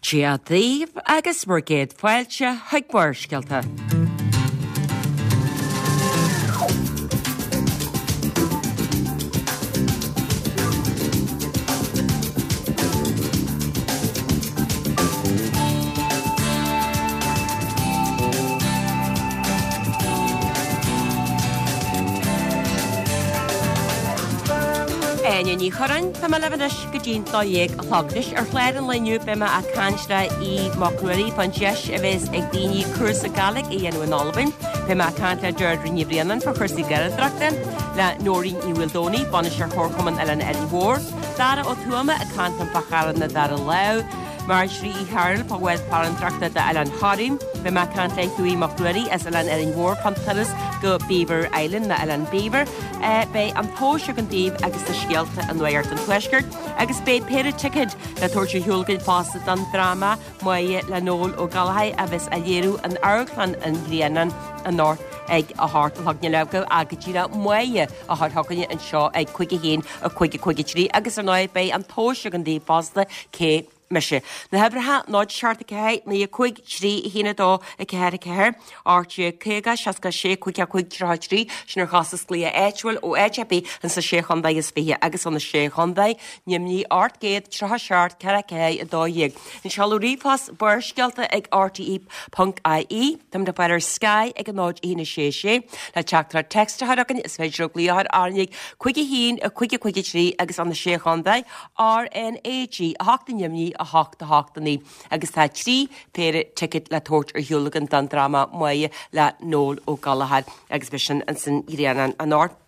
Dia daoibh agus bhur gcéad fáilte chuig Barrscéalta. Áine Ní Churráin, tá mé libh anois go dtí'n 12 a chlog. Anois ar chlár an lae inniu beidh mé ag caint le Aodh Mac Ruairí fán deis a bheas ag daoine cúrsa Gàidhlig a dhéanamh in Albain. Beidh mé ag caint le Deirdre Ní Bhraonáin fá chúrsaí Gaeltachta, le Nóirín Ní Mhaoldomhnaigh, Bainisteoir Chomharchumann Oileán Árainn Mhór, Dara Ó Tuama ag caint liom fá Charrlann na Dara Lámh, Marjorie Uí Chearbhaill fá bhád farantóireachta d'Oileán Thoraí. Beidh mé ag caint le Hughie Mac Ruairí as Oileán Árainn Mhór fán turas go Beaver Island, nó Oileán Beaver. Beidh an tomhas againn daoibh agus na scéalta i Nuacht an Tuaiscirt agus beidh péire ticéad le tabhairt ar shiúl againn fosta don dráma Máire le Noel Ó Gallchóir a bheas á léiriú in Amharclann an Ghrianáin anocht ag a hocht a chlog. Níl agaibh ach go díreach Máire a chur chugainne anseo ag 5 1 5 5 3 agus ar ndóigh beidh an tomhas againn daoibh fosta cé mise. Na huimhreacha 0 7 4 9 5 3 1 2 4 4 18 50 66 5 5 33 sin ar chostas glaoch áitiúil ó áit ar bith insa Sé Chontae is Fiche agus ó na Sé Chontae, Nimhní 837 4 4 12. An seoladh ríomhphost Barrscéalta ag rte ponc ie. Táimid le fáil ar Sky ag 0 1 6 6. Le teachtaireacht text a chur chugainn is féidir libh glaoch ar RnaG 5 1 5 5 3 agus ó na Sé Chontae, RnaG 8 i nDoimní 8 8 9 agus tá 3 phéire ticéad le tabhairt ar shiúl againn don dráma Máire le Noel Ó Gallchóir agus beidh sin insan Ghrianán anocht.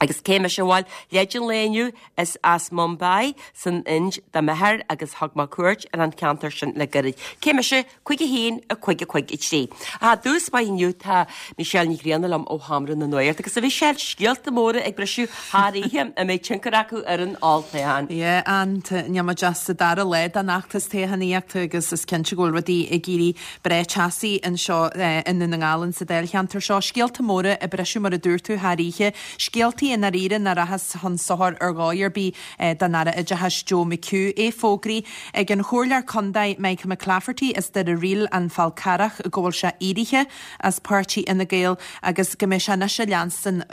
Agus cé mise bhuel, leid an lae inniu is as Mumbai san Ind do m'athair agus thug mé cuairt ar an cheantar sin le gairid. Cé mise? 5 1 5 5 3. I dtús báire inniu tá Michelle Ní Ghrianna liom ó Sheomra na Nuachta agus a Mhichelle, scéalta móra ag briseadh thar oíche a mbeidh tionchar acu ar an olltoghchán. Yeah, and níl muid ach sa dara lá den fheachtas toghchánaíochta agus is cinnte go bhfuil rudaí ag éirí breá teasaí anseo i nDún na nGall in sa dáilcheantar seo. Scéalta móra ag briseadh mar a dúirt tú thar oíche. Scéaltaí i ndáiríre nach rachas chun sochair ar dhóigh ar bith don Aire Oideachais Joe McHugh. É fógraithe ag an Chomhairleoir Contae Michael McClafferty as Doire Ríl, An Fál Carrach go bhfuil sé éirithe as páirtí Fhine Gael agus go mbeidh sé anois ag leanstan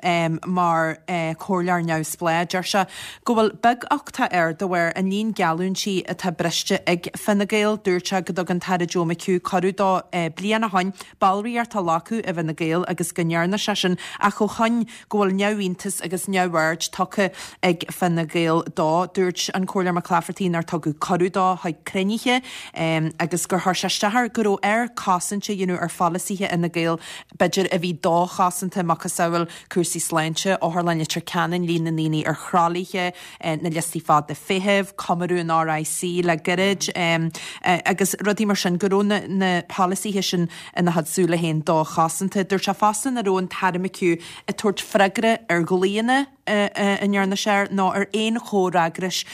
mar chomhairleoir neamhspleách. Deir sé go bhfuil beaguchtach air de bharr an líon geallúintí atá briste ag Fine Gael. Dúirt sé go dtug an tAire Joe McHugh cuireadh dó bliain ó shoin ballraíocht a ghlacadh i bhFine Gael agus go ndearna sé sin ach ó shoin go bhfuil neamhiontas agus neamhaird tugtha ag Fine Gael dó. Dúirt an Comhairleoir McClafferty nár tugadh cuireadh dó chuig cruinnithe agus gur chuir sé isteach air go raibh air cosaint a dhéanamh ar pholasaithe Fhine Gael, b'fhéidir, a bhí dochosanta, macasamhail cúrsaí sláinte, Otharlann Leitir Ceanainn, líon na ndaoine ar thralaithe, na liostaí fada feithimh, cumrú an RIC le gairid agus rudaí mar sin, go raibh na polasaithe sin ina chuid súile féin dochosanta. Dúirt sé fosta nach raibh an tAire McHugh ag tabhairt freagra ar ghlaonna a ndearna sé air ná ar aon chomhfhreagras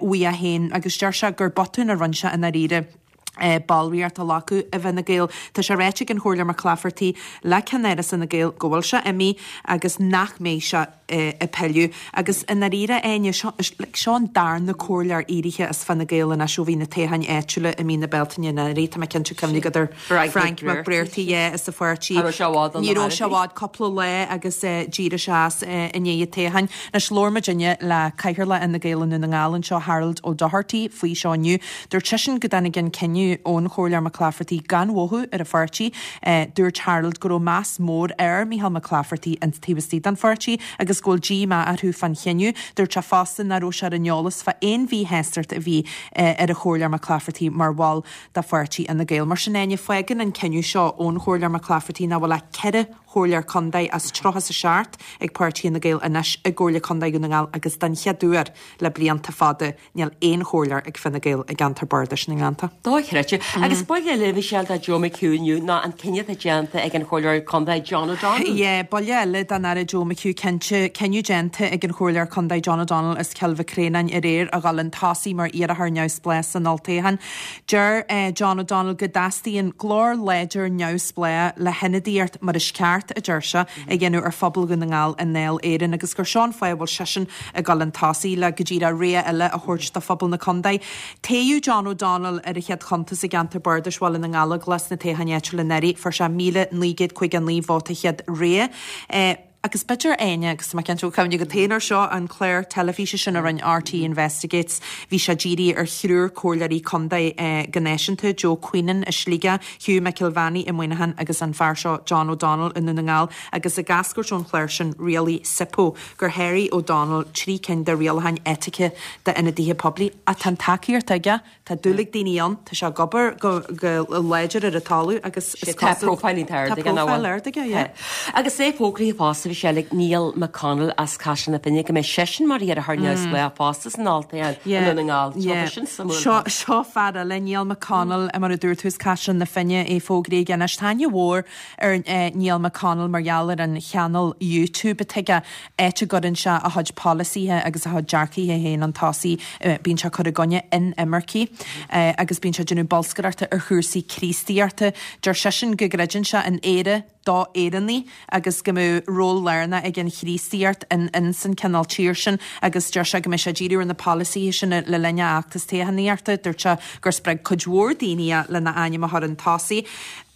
uaidh é féin agus deir sé gur botún a rinne sé i ndáiríre ballraíocht a ghlacadh i bhFine Gael. Tá sé ráite ag an Chomhairleoir McClafferty le ceannáras Fhine Gael go bhfuil sé imithe agus nach mbeidh sé ag pilleadh. Agus i ndáiríre, Áine, seo, like, seo an darna comhairleoir éirithe as Fine Gael anois ó bhí na toghcháin áitiúla i mí na Bealtaine anuraidh. Tá mé cinnte cuimhne agat ar Frank McBrearty, yeah, as an pháirtí. Cha raibh sé i bhfad ann Ní raibh sé i bhfad, cúpla lá agus d'éirigh sé as i ndiaidh an toghcháin. Anois labhair muidinne le Cathaoirleach Fhine Gael i Ndún na nGall anseo, Harold O'Doherty, faoi seo inniu. Dúirt seisean go dtáinig an cinneadh ón Chomhairleoir McClafferty gan mhothú ar an pháirtí. Dúirt Harold go raibh meas mór ar Micheál McClafferty an taobh istigh den pháirtí agus go bhfuil díomá orthu fán chinneadh. Dúirt sé fosta nach raibh sé ar an eolas fá aon mhíshástacht a bhí ar an Chomhairleoir McClafferty mar bhall de pháirtí Fhine Gael. Mar sin Áine, fágann an cinneadh seo ón Chomhairleoir McClafferty nach bhfuil ach 4 chomhairleoir contae as 37 ag páirtí Fhine Gael anois i gComhairle Contae Dhún na nGall agus den chéad uair le blianta fada Níl aon chomhairleoir ag Fine Gael i gceantar bardais na nGleannta. Dochreidte. Agus buille eile, a Mhichelle, do Joe McHugh inniu ná an cinneadh atá déanta ag an Chomhairleoir Contae John O'Donnell. Yeah, buille eile don Aire Joe McHugh cinnte. Cinneadh déanta ag an Chomhairleoir Contae John O'Donnell as Cill Mhic Réanáin aréir a dhul chun tosaigh mar iarrthóir neamhspleách san olltoghchán. Deir John O'Donnell go dteastaíonn glór láidir neamhspleách le hionadaíocht mar is ceart. ceart, a deir sé, a dhéanamh ar phobal Dhún na nGall i nDáil Éireann agus gur seo an fáth a bhfuil seisean ag dul chun tosaigh le go díreach rogha eile a thabhairt do phobal na contae. Toghadh John O'Donnell ar an chéad chuntas i gceantar bardais Bhaile na nGallóglach sna toghcháin áitiúla anuraidh. Fuair sé 1,959 vóta chéad rogha. Agus b'fhéidir, Áine, agus tá mé cinnte go bhfuil cuimhne agat féin air seo, an clár teilifíse sin a rinne RTÉ Investigates, bhí sé dírithe ar thriúr comhairleoirí contae go náisiúnta, Joe Queenan i Sligeach, Hugh McIlvanney i Muineachán agus an fear seo John O'Donnell i nDún na nGall agus ag eascairt ón chlár sin rialaigh SIPO gur sháraigh O'Donnell trí cinn de rialacháin eitice d'ionadaithe poiblí. Ach tá an tacaíocht aige Tá dúil ag daoine ann, tá sé ag obair go láidir ar an talamh agus is cosúil. Tá profile iontach ard aige, nach bhfuil? Tá profile ard aige, yeah. Agus é fógraithe fosta, Michelle, ag Niall McConnell as Caiseal na Finne go mbeidh seisean mar iarrthóir neamhspleách fosta san olltoghchán i nDún na nGall. Tá sin suimiúil. Seo, seo fear eile, Niall McConnell, mar a dúirt tú, as Caiseal na Finne, é fógraithe aige anois. Tá aithne mhór ar Niall McConnell mar gheall ar an chainéal YouTube atá aige. áit a gcuireann sé a chuid polasaithe agus a chuid dearcaithe féin chun tosaigh. Bíonn sé ag cur i gcoinne inimircigh agus bíonn sé ag déanamh bolscaireachta ar chúrsaí Críostaíochta. Deir seisean go gcreideann sé in Éire d'Éireannaigh agus go mbeadh ról lárnach ag an Chríostaíocht in ins an cineál tír sin agus deir sé go mbeidh sé ag díriú ar na polasaithe sin le linn a fheachtas toghchánaíochta. Dúirt sé gur spreag cuid mhór daoine é lena ainm a chur chun tosaigh.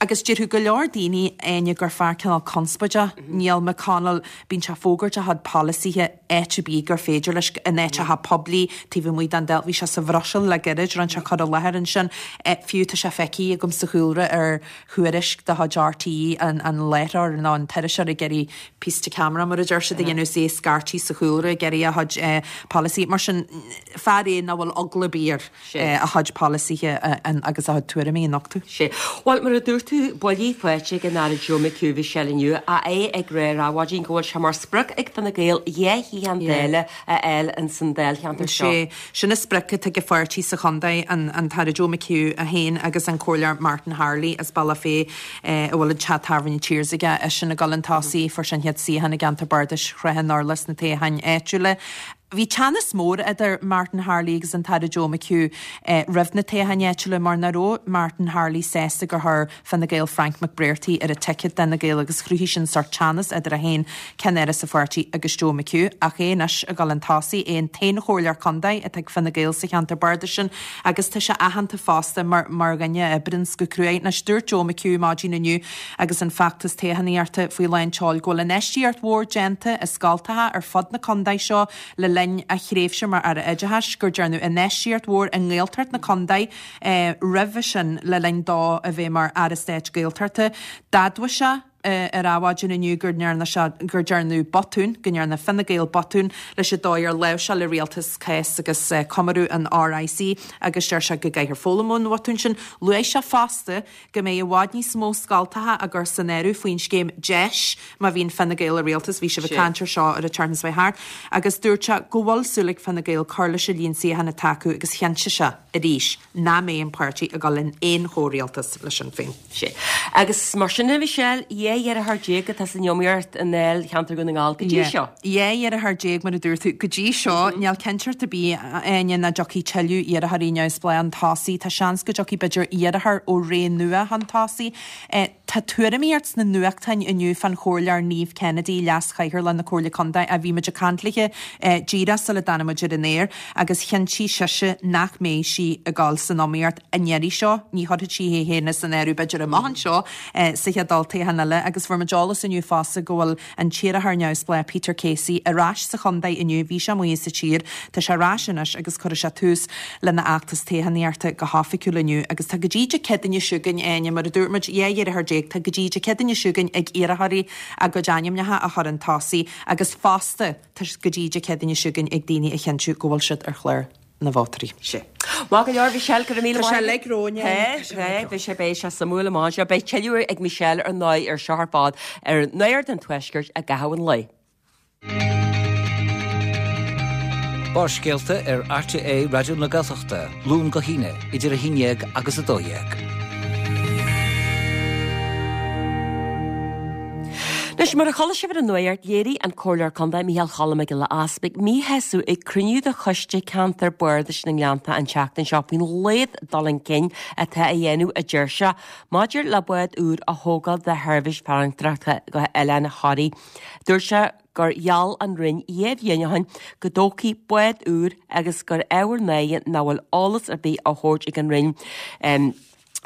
Agus déarfadh go leor daoine, Áine, gur fear cineál conspóideach Niall McConnell. Bíonn sé ag fógairt a chuid polasaithe áit ar bith gur féidir leis, in áiteacha poiblí, taobh amuigh den Dáil. Bhí sé sa Bhruiséil le gairid, rinne sé cur i láthair ansin. Fiú tá sé feicthe agam sa chúlra ar thuairisc de chuid RTÉ, an láithreoir nó an t-iriseoir ag iarraidh piece to camera, mar a deir siad, a dhéanamh is é ag scairtigh sa chúlra ag iarraidh a chuid polasaí. Mar sin, fear é nach bhfuil eagla ar bith air. a chuid polasaithe agus a chuid tuairimí a nochtadh. Sea. Bhuel, mar a dúirt tú, buillí faighte ag an Aire Joe McHugh Michelle inniu, ach é ag rá ar Adhmhaidin go bhfuil sé mar sprioc ag Fine Gael 2 shuíochán Dála a fháil ins an dáilcheantar seo. Sea. Sin an sprioc atá ag an pháirtí sa chontae, an tAire Joe McHugh é féin agus an Comhairleoir Martin Harley as Bealach Féich a bhfuil an teach tábhairne Tears aige, eisean ag dul chun tosaigh, fuair sé an chéad suíochán i gceantar bardais Shrath an Urláir sna toghcháin áitiúla. Bhí teannas mór idir Martin Harley agus an tAire Joe McHugh roimh na toghcháin áitiúla mar nach raibh Martin Harley sásta gur chuir Fine Gael Frank McBrearty ar an ticket d'Fhine Gael agus chruthaigh sin sórt teannas idir é féin, ceannaire sa pháirtí, agus Joe McHugh. Ach é anois ag dul chun tosaigh, é an t-aon chomhairleoir contae atá ag Fine Gael sa cheantar bardais sin agus tá sé aitheanta fosta mar mar dhuine a oibríonns go cruaidh. Anois dúirt Joe McHugh maidin inniu agus an feachtas toghchánaíochta faoi lán tseoil go bhfuil infheistíocht mhór déanta i scoltacha ar fud na contae seo le linn a thréimhse mar Aire Oideachais, gur dearnadh infheistíocht mhór i nGaeltacht na contae roimhe sin le linn dó a bheith mar Aire Stáit Gaeltachta. D'admhaigh sé ar Adhmhaidin inniu gur ndearna sé, gur dearnadh botún, go ndearna Fine Gael botún leis an dóigh ar láimhseáil an rialtas cás agus cumrú an RIC agus deir sé go gcaithfear foghlaim ón bhotún sin. Luaigh sé fosta go mbeidh i bhfad níos mó scoltacha á gcur san áireamh faoin scéim DEIS má bhíonn Fine Gael i rialtas, bhí sibh ag caint ar seo ar an tseachtain seo thart, agus dúirt sé go bhfuil súil ag Fine Gael cur leis an líon suíochán atá acu agus chinntigh sé arís nach mbeidh an páirtí ag dul in aon chomhrialtas le Sinn Féin. Sea. Agus mar sin a Mhichelle, 12 iarrthóir atá san iomaíocht i ndáilcheantar Dhún na nGall go dtí seo. 12 iarrthóir mar a dúirt tú, go dtí seo, níl cinnteacht ar bith, a Áine, nach dtiocfaidh tuilleadh iarrthóirí neamhspleách chun tosaigh. Tá seans go dtiocfaidh b'fhéidir iarrthóir ó Ré Nua chun tosaigh. Tá tuairimíocht sna nuachtáin inniu fán Chomhairleoir Niamh Kennedy, Leas-Chathaoirleach na Comhairle Contae, a bhí muid ag caint léi díreach sula dtáinig muid ar an aer, agus chinntigh sise nach mbeidh sí ag dul san iomaíocht an iarraidh seo. Ní chuirfidh sí é féin san áireamh b'fhéidir amach anseo sa chéad olltoghchán eile. Agus fuair muid eolas inniu fosta go bhfuil an t-iarrthóir neamhspleách Peter Casey ar ais sa chontae inniu. Bhí sé amuigh as an tír, tá sé ar ais anois agus cuirfidh sé tús lena fheachtas toghchánaíochta go hoifigiúil inniu. Agus tá go dtí Dé Céadaoine seo chugainn, Áine, mar a dúirt muid, 12 iarrthóir, tá go dtí Dé Céadaoine seo chugainn ag iarrthóirí a gcuid ainmneacha a chur chun tosaigh agus fosta tá go dtí Dé Céadaoine seo chugainn ag daoine a chinntiú go bhfuil siad ar chlár na vótóirí. Sea. Maith go leor, Michelle, go raibh míle maith agat. Tá sé uilig romhainn. Tá, tá, beidh sé, beidh sé suimiúil amach anseo. Beidh tuilleadh ag Michelle ar ndóigh ar seo ar fad ar Nuacht an Tuaiscirt i gcaitheamh an lae. Barrscéalta ar RTÉ Raidió na Gaeltachta, Luan go hAoine, idir 11 agus 12. Anois, mar a chuala sibh ar an nuacht, léirigh an Comhairleoir Contae Micheál Cholm Mac Giolla Easpaig míshásamh ag cruinniú de Choiste Ceantair Bardais na nGleannta an tseachtain seo faoin laghad dul chun cinn atá á dhéanamh, a deir sé, maidir le bád úr a thógáil do sheirbhís farantóireachta go hOileán Thoraí. Dúirt sé gur gheall an Roinn 2 bhliain ó shin go dtógfaí bád úr agus gur ábhar náire nach bhfuil eolas ar bith á thabhairt ag an Roinn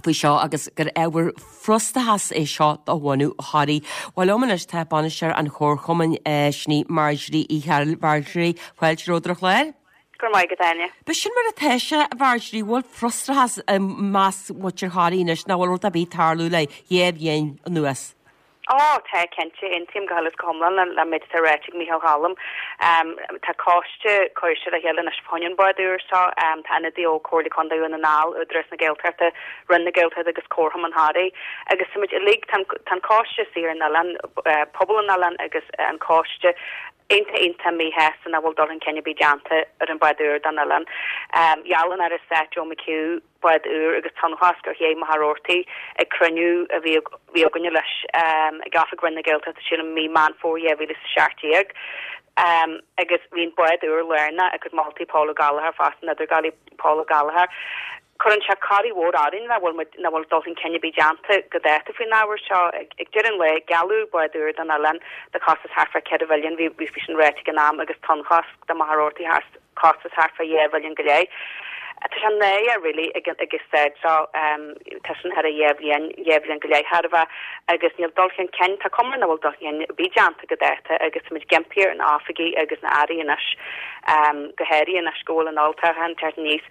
faoi seo agus gur ábhar frustrachais é seo do bhunadh Thoraí. Bhuel liom anois tá bainisteoir an Chomharchumainn, sin í Marjorie Uí Chearúil. Marjorie, fáilte romhat ar an chlár. Go raibh maith agat, Áine. B'shin mar atá sé, a Mharjorie, bhfuil frustrachas i measc mhuintir Thoraí anois nach bhfuil rud ar bith ag tarlú le dhá bhliain anuas? Ó, tá, cinnte. Aontaím go huile is go hiomlán le méid atá ráite ag Micheál Cholm. Tá coiste curtha le chéile anois fá choinne an bád úr seo. Tá ionadaí ó Comhairle Contae Dhún na nGall, Údarás na Gaeltachta, Roinn na Gaeltachta agus Comharchumann Thoraí. Agus táimid uilig, tá an coiste istigh ar an oileán, pobal an oileáin agus an coiste, iontach iontach míshásta nach bhfuil dul chun cinn ar bith déanta ar an bád úr don oileán. Gheall an Aire Stáit Joe McHugh bád úr agus tonnchosc ar ché Mhachaire Rabhartaigh ag cruinniú a bhí bhí againne leis ag oifig Roinn na Gaeltachta sílim mí Meán Fómhair 2017 agus bhí an bád úr lárnach i gcuid moltaí Paul Ó Gallchóir fosta an idirghabhálaí Paul Ó Gallchóir. Cuireann sé corraí mhór orainn nach bhfuil muid, nach bhfuil dul chun cinn ar bith déanta go dáta faoin ábhar seo. Ag deireadh an lae, gealladh bád úr don oileán do chostas thart fá 4 mhilliún, bhí, bhí sin ráite ag an am, agus tonnchosc do Mhachaire Rabhartaigh thar costas thart fá 2 mhilliún go leith. Tá sé náireach really ag an, ag an staid seo, tá sin thar a 2 bhliain, 2 bhliain go leith chóir a bheith, agus níl dul chun cinn, tá cuma air nach bhfuil dul chun cinn ar bith déanta go dáta agus táimid ag impí ar na hoifigigh agus na airí anois, go háirithe anois go bhfuil an olltoghchán ag teacht aníos,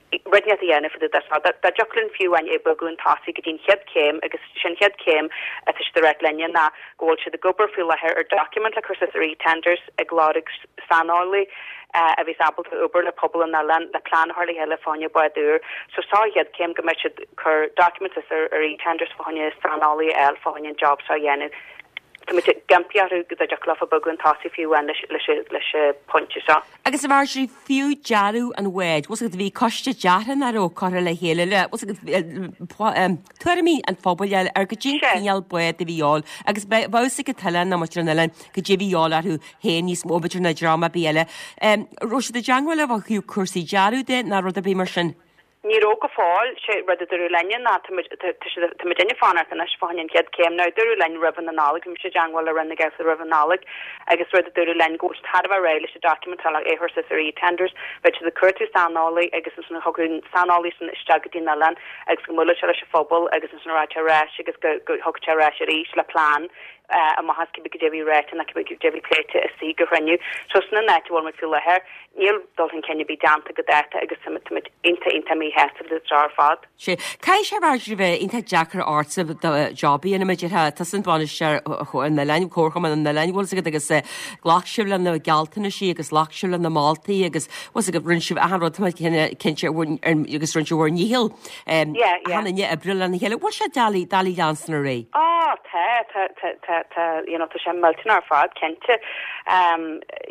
rud inteacht a dhéanamh fá dtaobh de seo. Dá dtiocfadh linn fiú amháin é bogadh chun tosaigh go dtí an chéad chéim agus sin an chéad chéim atá siad ag ráit linne ná go bhfuil siad ag obair faoi láthair ar document le cur suas ar eTenders ag lorg saineolaí a bheas ábalta obair le pobal an oileáin le plean a chur le chéile fá choinne bád úr. So seo an chéad chéim go mbeidh siad cur document suas ar ar eTenders fá choinne saineolaí a fháil fá choinne an job seo a dhéanamh. Tá muid ag impí orthu go dtiocfadh leofa bogadh chun tosaigh fiú amháin leis leis an pointe seo. Agus a Mharjorie, fiú dearadh an bháid, bhfuil 's agat, bhí coiste deartha nach raibh curtha le chéile le, bhfuil 's agat, tuairimí an phobail a fháil ar goidé an cineál bád a bhí a dhíobháil agus bheadh fhios ag an t-oileán nó muintir an oileáin goidé a bhí a dhíobháil orthu féin níos mó b'fhéidir ná dream ar bith eile. Raibh siad i dteangmháil libh ó thaobh cúrsaí dearadh de ná rud ar bith mar sin? Ní raibh go fóill. Sé rud a dúradh linne ná tá muid, tá siad, tá muidinne ag fanacht anois fá choinne an chéad céim. Now dúradh linn roimh an Nollaig, bhí mise i dteangmháil le Roinn na Gaeltachta roimh an Nollaig agus rud a dúradh linn go bhfuil siad thar a bheith réidh leis an document atá le é a chur suas ar eTenders. Bheadh siad ag cuartú saineolaí agus ansin thiocfadh an saineolaí sin isteach go dtí an oileán agus go mbuailfeadh sé leis an phobal agus ansin rachadh sé ar ais agus go, go thiocfadh sé ar ais arís le plean amach as cibé goidé a bhí ráite nó cibé goidé a bhí pléite istigh ag an chruinniú. So sin an áit a bhfuil muid faoi láthair. Níl dul chun cinn ar bith déanta go dáta agus tá muid iontach, iontach míshásta le seo ar fad. Sea. Caithfidh sé Marjorie bheith iontach deacair ortsa do job a dhéanamh, déarfá, tusa an bainisteoir an oileáin, Comharchumann an Oileáin, bhfuil 's agat, agus ghlac sibh le na gealltanaisí agus ghlac sibh le na moltaí agus bhfuil 's agat, rinne sibh achan rud, tá mé cinnte, agus rinne sibh bhur ndícheall achan duine oibriú lena chéile. Bhfuil sé doiligh, doiligh leanstan ar aghaidh? Á, tá, tá, tá, tá, tá, you know, tá sé millteanach ar fad, cinnte.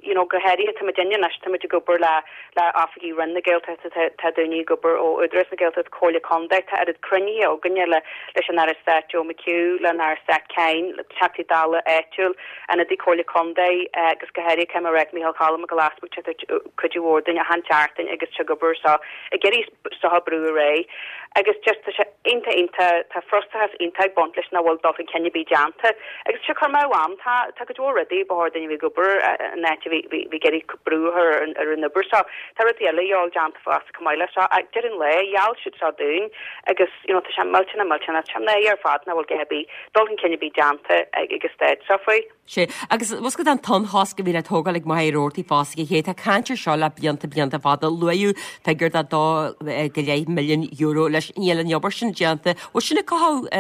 You know, go háirithe, tá muidinne anois, tá muid ag obair le, le oifigigh Roinn na Gaeltachta, tá, tá daoine ag obair ó Údarás na Gaeltachta, Comhairle Contae, tá oiread cruinnithe againne le, leis an Aire Stáit Joe McHugh, le an Aire Stáit Kyne, le Teachtaí Dála áitiúil, ionadaí Comhairle Contae, agus go háirithe caithfidh mé a rá Micheál Cholm Mac Giolla Easbuig, tá ag cuidiú mhór dúinn achan tseachtain agus tá ag obair so, ag iarraidh seo a brú ar aghaidh. Agus just tá sé iontach iontach, tá frustrachas iontach ag baint leis nach bhfuil dul chun cinn ar bith déanta. Agus tá sé ag cur amú am, tá tá cuid mhór rudaí ba chóir duinn a bheith ag obair in áit a bheith bheith ag iarraidh brú a chur ar ar an obair seo. Tá rudaí eile a dhíobháil déanta fosta chomh maith leis seo. Ach deireadh an lae, gheall siad seo dúinn agus you know tá sé millteanach millteanach, tá sé náireach ar fad nach bhfuil a dhath ar bith, dul chun cinn ar bith déanta ag an staid seo faoi. Sea, agus bhfuil 's agat an tonnchosc a bhí le tógáil ag Machaire Rabhartaigh fosta a chéad, tá caint ar seo le blianta blianta fada. Luaíodh figiúr de 2 go leith milliún euro leis. Níl an obair sin déanta. Bhfuil sin ag cothú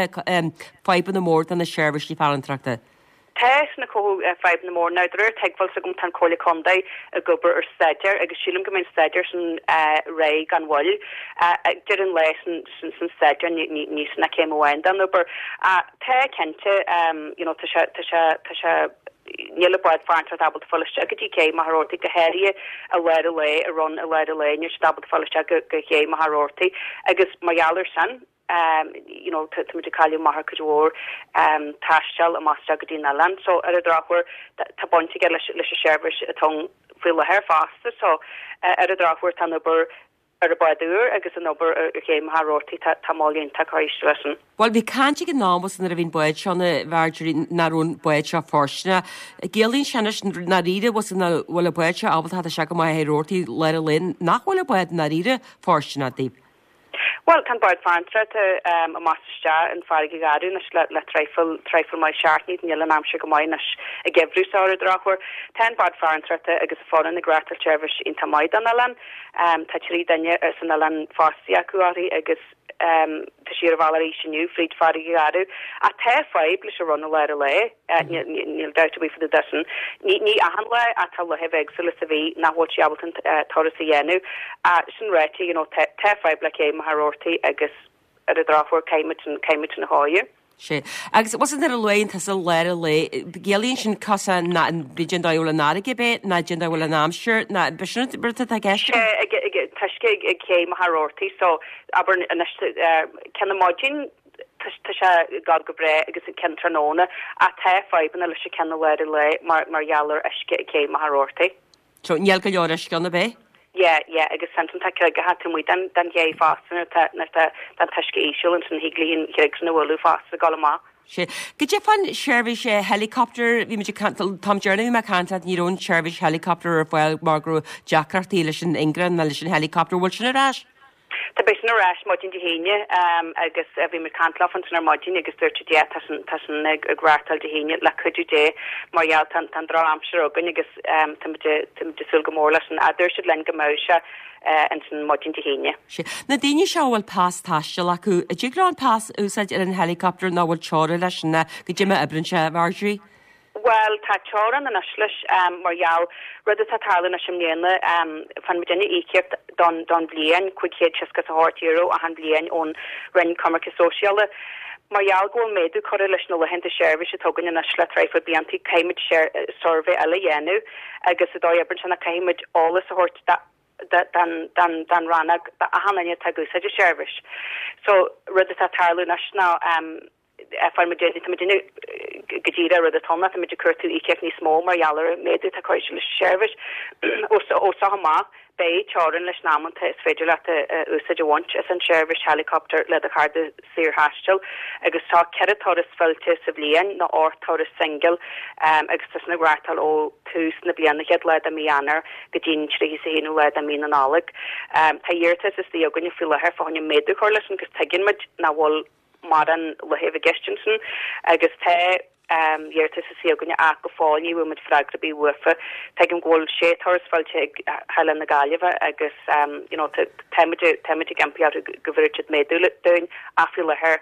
fadhbanna mór do na seirbhísí farantóireachta? Tá sin ag cothú fadhbanna mór. Now, de réir tuigbheáil s'agam tá an Comhairle Contae ag obair ar staidéar agus sílim go mbeidh an staidéar sin réidh gan mhoill. Ag deireadh an lae sin sin staidéar ní sin ach céim amháin den obair. Tá, cinnte. You know, tá sé, tá sé, tá sé, níl an bád farantóireachta ábalta fáil isteach go dtí cé Machaire Rabhartaigh, go háirithe i lár an lae, i run i lár an lae, níl siad ábalta fáil isteach go, go cé Machaire Rabhartaigh agus mar gheall ar sin. You know, tá muid ag cailleadh amach ar cuid mhór taisteal amach isteach go dtí an oileán. So ar an drochuair tá baint aige leis leis an seirbhís atá ann faoi láthair fosta. So ar an drochuair tá an obair ar an bád úr agus an obair ar ché Mhachaire Rabhartaigh, tá tá moill iontach curtha leis sin. Bhuel bhí caint ag an am agus nuair a bhí an bád seo a Mharjorie nach raibh an bád seo fóirsteanach. Ciallaíonn sé anois ndáiríre bhfuil an bhfuil an bád seo ábalta theacht isteach go Machaire Rabhartaigh lár an lae nach bhfuil an bád ndáiríre fóirsteanach daoibh. Bhuel, tá an bád farantóireachta amach is isteach in Farraige Gharbh anois le traidhfil, traidhfil maith seachtainí, níl an aimsir go maith anois an geimhreadh seo ar an drochuair. Tá an bád farantóireachta agus a foireann ag reáchtáil seirbhís iontach maith don oileán. Tá 3 duine san oileán fostaithe acu uirthi agus tá sí ar a bhealach arís inniu fríd Farraige Gharbh. Ach tá fadhb leis an run i lár an lae. Níl dabht ar bith fá dtaobh de sin. Ní achan lá ach tá laethanta éagsúla sa mhí nach bhfuil sí ábalta an turas a dhéanamh. Ach sin ráite, you know, tá fadhb le cé Machaire Rabhartaigh agus ar an drochuair caithfimid sin, caithfimid sin a chóiriú. Sea. Agus bhfuil san ar a luaigh tusa lár an lae, ciallaíonn sin cosán ná an b'fhéidir an dóigh a bhfuil an fharraige ab é, ná an dóigh a bhfuil an aimsir, ná b'shin an rud atá i gceist agat? Sea, ag, ag, tá uisce ag, ag cé Machaire Rabhartaigh so abair anois, ceann na maidin, Tá sé ag gabháil go breá agus an ceann tráthnóna ach tá fadhbanna leis an ceann i lár an lae mar mar gheall ar uisce ag cé Machaire Rabhartaigh. So níl go leor uisce ann ab é? Yeah, yeah agus ansin tá creagacha taobh amuigh den den ché fosta nuair atá nuair atá an t-uisce íseal ansin thig léi an chreag sin a bhualadh fosta ag dul amach. Sea. Goidé fán seirbhís helicopter, bhí muid ag caint, an t-am deireanach a bhí mé ag caint leat ní raibh an tseirbhís helicopter ar fáil mar go raibh deacrachtaí leis an ingearán nó leis an helicopter. Bhfuil sin ar ais? Tá beidh sin ar ais maidin Dé hAoine agus bhí muid ag caint leofa ansin ar maidin agus dúirt siad yeah tá sin tá sin ag ag reáchtáil Dé hAoine le cuidiú Dé mar gheall tá tá an drochaimsir againn agus tá muid tá muid ag súil go mór leis sin. Dúirt siad linn go mbeadh sé ansin maidin Dé hAoine. Sea. Na daoine seo a bhfuil pas taistil acu, an dtig leo an pas a úsáid ar an helicopter nó bhfuil teora leis sin goidé mar a oibríonn sé, a Mharjorie? Bhuel, tá teorainn anois leis, mar gheall, rud atá ag tarlú anois i mbliana, faigheann muidinne íocaíocht don don bhliain, €568 achan bhliain ón Roinn Coimirce Sóisialaí. Mar gheall go bhfuil méadú curtha leis na laethanta seirbhíse atá againn anois le traidhfil blianta, caithfimid suirbhé eile a dhéanamh agus an dóigh a oibríonn sé ná caithfimid eolas a thabhairt don don rannóg d'achan duine atá ag úsáid an seirbhís. So, rud atá ag tarlú anois ná, Faigheann muid, tá muidinne go díreach rud atá ann ná tá muid ag cuartú íocaíocht níos mó mar gheall ar an méadú atá curtha leis an seirbhís. Ó seo amach, beidh teorainn leis na amanta is féidir leat úsáid a bhaint as an seirbhís helicopter le do chárta saorthaistil agus tá 4 turas fillte sa bhliain nó 8 turas singil agus tá sin ag reáchtáil ó tús na bliana, chéad lá de mí Eanáir go dtí an 31ú lá de mí na Nollag. Tá iarratas istigh againne faoi láthair fá choinne méadú a chur leis sin agus tuigeann muid nach bhfuil mórán laethanta i gceist ansin agus tá iarratas istigh againne ach go fóill ní bhfuair muid freagra ar bith uafa. Tuigim go bhfuil sé turas fillte ag hOileán na Gaillimhe agus you know táimid táimid ag impí orthu go bhféadfadh siad méadú dúinn ach faoi láthair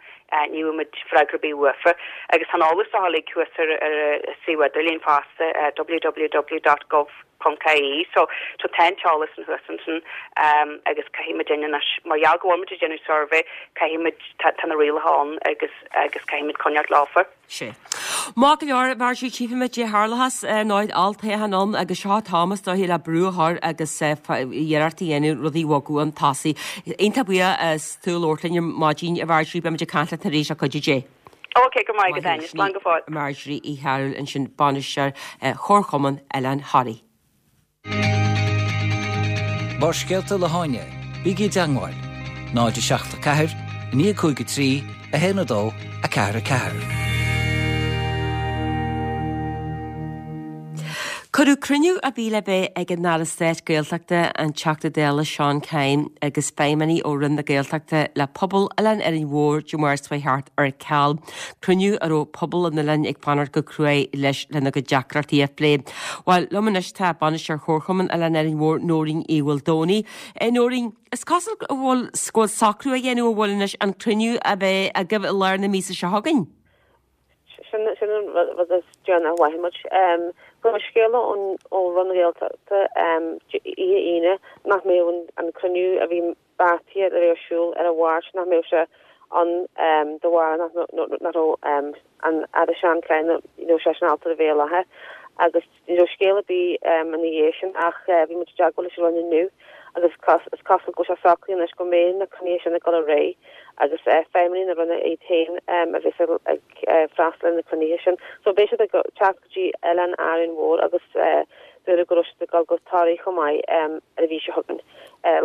ní bhfuair muid freagra ar bith uafa. Agus tá an eolas seo uilig thuas ar ar an suíomh idirlín fosta www.gov. ponc ie so so tá an t-eolas san thuas ansin agus caithfidh muidinne anois mar gheall go bhfuil muid ag déanamh suirbhé caithfidh muid tá tá na rialacha ann agus agus caithfidh muid coinneáilt leofa. Sea. Maith go leor, Marjorie, tchífimid goidé tharlóchas ar ndóigh olltoghchán ann agus seo an t-am is dóiche le brú a chur agus iarracht a dhéanamh rudaí a bhogadh chun tosaigh. Iontach buíoch as tú labhairt linn ar maidin, a Mharjorie, beimid ag caint leat arís le cuidiú Dé. Ok, go raibh maith agat Áine, slán go fóill. Marjorie Uí Chearbhaill ansin, Bainisteoir Chomharchumann Oileán Thoraí. Barrscéalta le hÁine, bígí i dteangmháil, 0 7 4 9 5 3 1 2 4 4. Cuireadh cruinniú a bhí le bheith ag an Aire Stáit Gaeltachta, an Teachta Dála Seán Kyne agus feidhmeannaigh ó Roinn na Gaeltachta le pobal Oileán Árainn Mhór Dé Máirt seo thart ar ceal. Cruinniú a raibh pobal an oileáin ag fanacht go cruaidh leis lena gcuid deacrachtaí a phlé. Bhuel, liom anois tá Bainisteoir Chomharchumann Oileán Árainn Mhór, Nóirín Uí Mhaoldomhnaigh. Nóirín, is cosúil go bhfuil go bhfuil socrú á dhéanamh an bhfuil anois an cruinniú a bheith agaibh i lár na míosa seo chugainn? Sin an rud is deireanaí a mhothaigh muid. Fuair muid scéala ó Roinn na Gaeltachta oíche Aoine nach mbeadh an cruinniú a bhí beartaithe le bheith ar siúl ar an Mháirt, nach mbeadh sé ann de bharr nach raibh an Aire Seán Kyne, ní raibh seisean ábalta a bheith i láthair. Agus ní raibh scéal ar bith ina dhiaidh sin ach bhí muid i dteagmháil leis an Roinn inniu. Agus is cosúil go bhfuil sé socraithe anois go mbeidh na cruinnithe sin ag dul ar aghaidh agus feidhmeannaigh na Roinne iad féin a bheas ag freastal ar na cruinnithe sin. So beidh siad ag teacht go dtí Oileán Árainn Mhór agus dúradh go raibh siad ag dul go Toraigh chomh maith ar an mhí seo chugainn,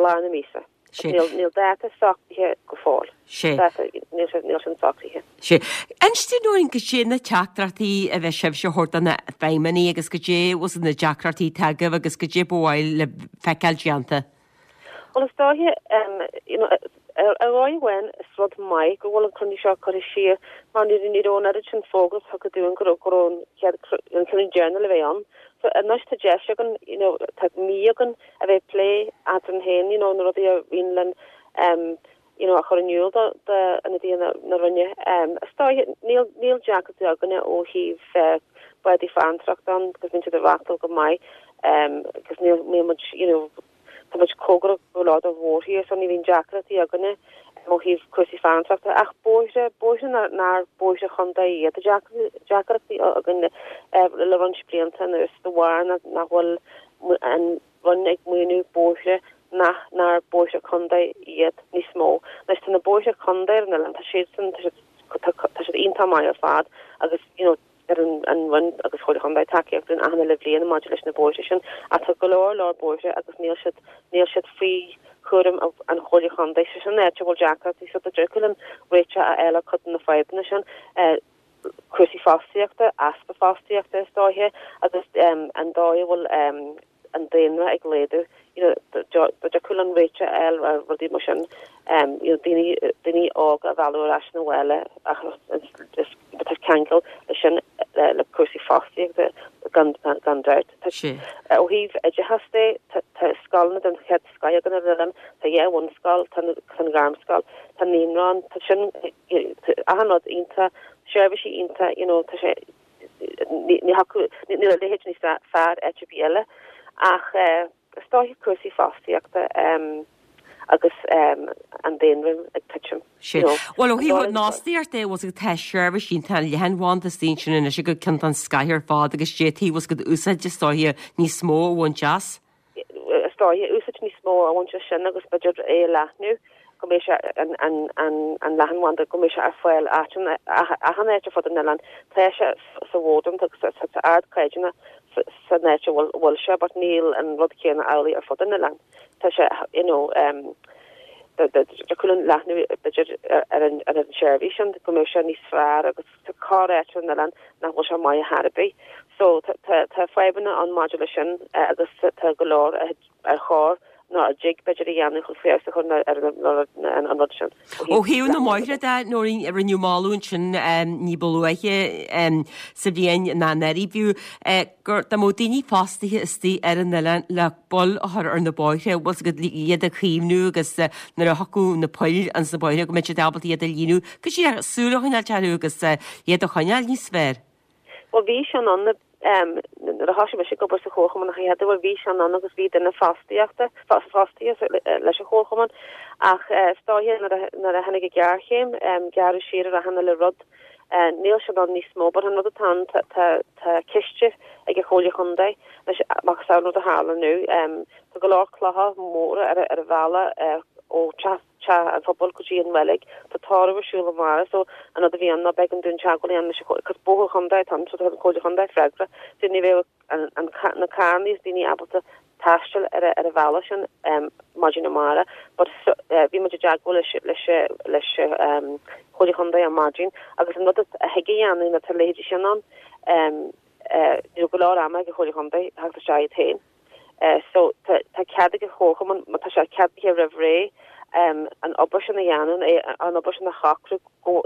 lár na míosa. Níl dáta socraithe go fóill. Dáta, níl sé, níl sin socraithe. Sea. Inis dúinn Nóirín goidé na teachtaireachtaí a bheidh sibhse a thabhairt do na feidhmeannaigh agus goidé bhfuil na deacrachtaí atá agaibh agus goidé ba mhaith libh feiceáil déanta. Bhuel is dóiche, you know, ar dhóigh amháin is rud maith go bhfuil an cruinniú seo curtha siar mar ní ní raibh an oiread sin fógra tugtha dúinn go raibh go raibh an chéad an cruinniú deireanach le bheith ann. So anois tá deis againn, you know, tá mí againn a bheith ag plé eadrainn féin, you know, na rudaí a bhíonn linn um, you know, a chur in iúl do d'ionadaithe na na Roinne. Um, is dóiche níl níl deacrachtaí againne ó thaobh uh, bádaí farantóireachta ann agus bíonn siad ag reachtáil go maith um, agus níl níl muid, you know, Tá muid cóngarach go leor do mhórthír so ní bhíonn deacrachtaí againne ó thaobh cúrsaí farantóireachta ach bóithre, bóithre nár bóithre chontae iad. Tá deacrachtaí againn le roinnt blianta anuas de bharr nach bhfuil an Roinn ag maoiniú bóithre nach nár bóithre contae iad níos mó. Anois tá na bóithre contae ar an oileán, tá siadsan, tá siad iontach maith ar fad agus you know, Tugann an Roinn agus Comhairle Chontae tacaíocht dúinn achan uile bhliain maidir leis na bóithre sin ach tá go leor leor bóithre agus níl siad níl siad faoi chúram an Chomhairle Chontae. So sin an áit a bhfuil deacrachtaí so dá dtiocfadh linn réiteach a fháil ar cuid de na fadhbanna sin, cúrsaí fostaíochta, easpa fostaíochta is dóiche agus an dóigh a bhfuil an daonra ag laghdú, you know, dá dtiocfadh linn réiteach a fháil ar rudaí mar sin, you know, daoine, daoine óga a mhealladh ar ais 'na bhaile ach is, tá ceangal leis sin le cúrsaí fostaíochta gan, gan dabht. Tá, ó thaobh oideachas de, tá, tá scoileanna den chéad scoith againn ar an oileán, tá dhá bhunscoil, tá, tá an ghairmscoil, tá naíonra ann, tá sin, achan rud iontach, seirbhísí iontach, you know, tá sé, Ní thiocfadh, níl a leithéid níos fearr áit ar bith eile ach is dóiche cúrsaí fostaíochta agus an daonra ag titim. Sea. Bhuel, ó thaobh na fostaíochta de, bhfuil 's agat, tá seirbhís iontach leathanbhanda istigh ansin anois agat ceann den scoith ar fad agus d'fhéadfaí, bhfuil 's agat, úsáid is dóiche níos mó a bhaint as. is dóiche, úsáid níos mó a bhaint as sin agus b'fhéidir é a leathnú go mbeidh sé an leathanbhanda go mbeidh sé ar fáil áiteanna achan áit ar fud an oileáin. Tá sé sa mhódam agus tá sé ardchaighdeánach san áit a bhfuil sé but níl an rud céanna amhlaidh ar fud an oileáin. Tá sé you know thiocfadh linn leathnú b'fhéidir ar an tseirbhís sin go mbeidh sé níos fearr agus Tá corr-áit ar an oileán nach bhfuil sé maith ar chor ar bith. So tá tá fadhbanna ann maidir leis sin agus tá go leor ar chóir nó a dtig b'fhéidir a dhéanamh chun feabhas a chur ar an rud sin. Ó thaobh na mbóithre de, Nóirín, rinneadh moladh ansin ní ba luaithe sa bhliain ná anuraidh fiú gur dá mbeadh daoine fostaithe istigh ar an oileán le bail a chur ar na bóithre, bhfuil 's agat, iad a chaomhnú agus nuair a thiocfadh na poill ins na bóithre go mbeadh siad ábalta iad a líonadh. Go díreach súil a choinneáilt orthu agus iad a choinneáil níos fearr. Bhuel bhí sin ann nuair a thosaigh mise ag obair sa chomharchumann an chéad uair bhí sin ann agus bhí duine fostaíochta fostaithe leis an chomharchumann ach is dóiche nuair a tháinig an ghéarchéim gearradh siar ar achan uile rud. Níl sin ann níos mó but an rud atá ann tá ciste ag an Chomhairle Chontae anois macasamhail an rud a tharla inniu. Tá go leor clocha móra ar an bhealach ó teach Teach an Phobail go dtí an reilig. Tá tórramh ar siúl amárach so an rud a bhí ann ná b'éigean dúinn teagmháil a dhéanamh leis an chomhairle cos bóthar chontae atá ann so tá an Chomhairle Chontae freagrach so ní bheadh an, an, na carranna is daoine ábalta taisteal ar, ar an bhealach sin um, maidin amárach but so, uh, bhí muid i dteagmháil leis, leis, leis um, Chomhairle Chontae ar maidin agus an rud a thig a dhéanamh nuair tá a leithéidí sin ann um, uh, ní raibh go leor ama ag an Chomhairle Chontae theacht isteach iad féin. So tá cead ag an chomharchumann, má tá sé ceadaithe roimh ré, an obair sin a dhéanamh, an obair sin a shocrú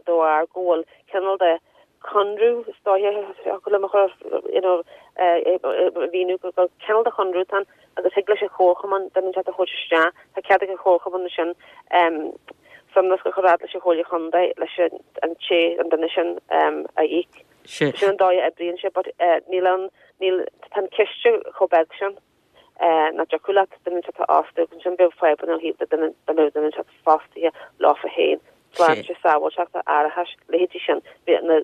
de bharr go bhfuil cineál de chonradh, is dóiche, thiocfadh liom a chur, you know, a mhíniú go cineál de chonradh atá ann agus thig leis an chomharchumann duine inteacht a thabhairt isteach, tá cead ag an chomharchumann ansin sonrasc a chur fhad leis an Chomhairle Chontae leis an té, an duine sin a íoc. Sin an dóigh a oibríonn sé but níl an, níl, tá an ciste chomh beag sin nach dtiocfadh leat duine inteacht a fhostú agus ansin bheadh fadhbanna ó thaobh duine, dá mbeadh duine inteacht fostaithe leofa féin, sláinte, sábháilteachta, árachais, leithéidí sin,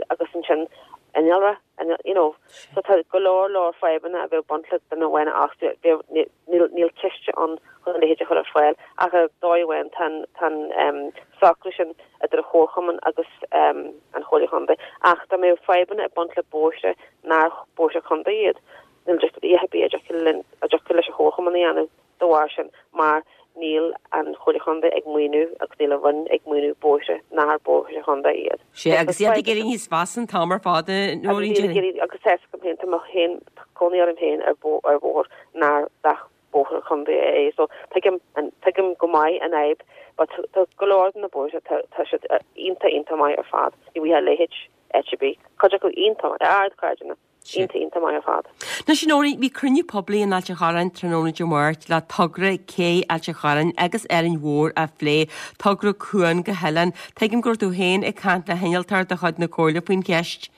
agus ansin. innealra, you know. So tá go leor leor fadhbanna a bheadh ag baint le duine amháin a fhostú, bheadh, níl, níl ciste ann chun a leithéid a chur ar fáil ach ar dóigh amháin tá an, tá an socrú sin idir an chomharchumann agus an Chomhairle Chontae. Ach dá mbeadh fadhbanna ag baint le bóithre nár bóithre contae iad, níl a dhath ar bith a dtiocfadh linn, a dtiocfadh leis an chomharchumann a dhéanamh. De bharr sin, mar níl an Chomhairle Chontae ag maoiniú agus níl an Roinn ag maoiniú bóithre nár bóithre chontae iad. Sea, agus iad ag éirí níos measa an t-am ar fad, a Nóirín. Agus iad ag éirí, agus tá a fhios agam féin, tá mé féin, tá cónaí orm féin ar bhóthar nár dach bóthar contae é, so tuigim, tuigim go maith an fhadhb, but tá go leor de na bóithre, tá, tá siad iontach, iontach maith ar fad, ní bhfaighfeá a leithéid áit ar bith, cuid acu iontach maith, ardchaighdeán. Iontach, iontach maith ar fad. Anois, a Nóirín, bhí cruinniú poiblí in Ailt an Chorráin tráthnóna Dé Máirt le togra cé Ailt an Chorráin agus Árainn Mhór a phlé, togra cuan go hoileán. Tuigim go raibh tú féin ag caint le hinnealtóir de chuid na Comhairle faoin cheist.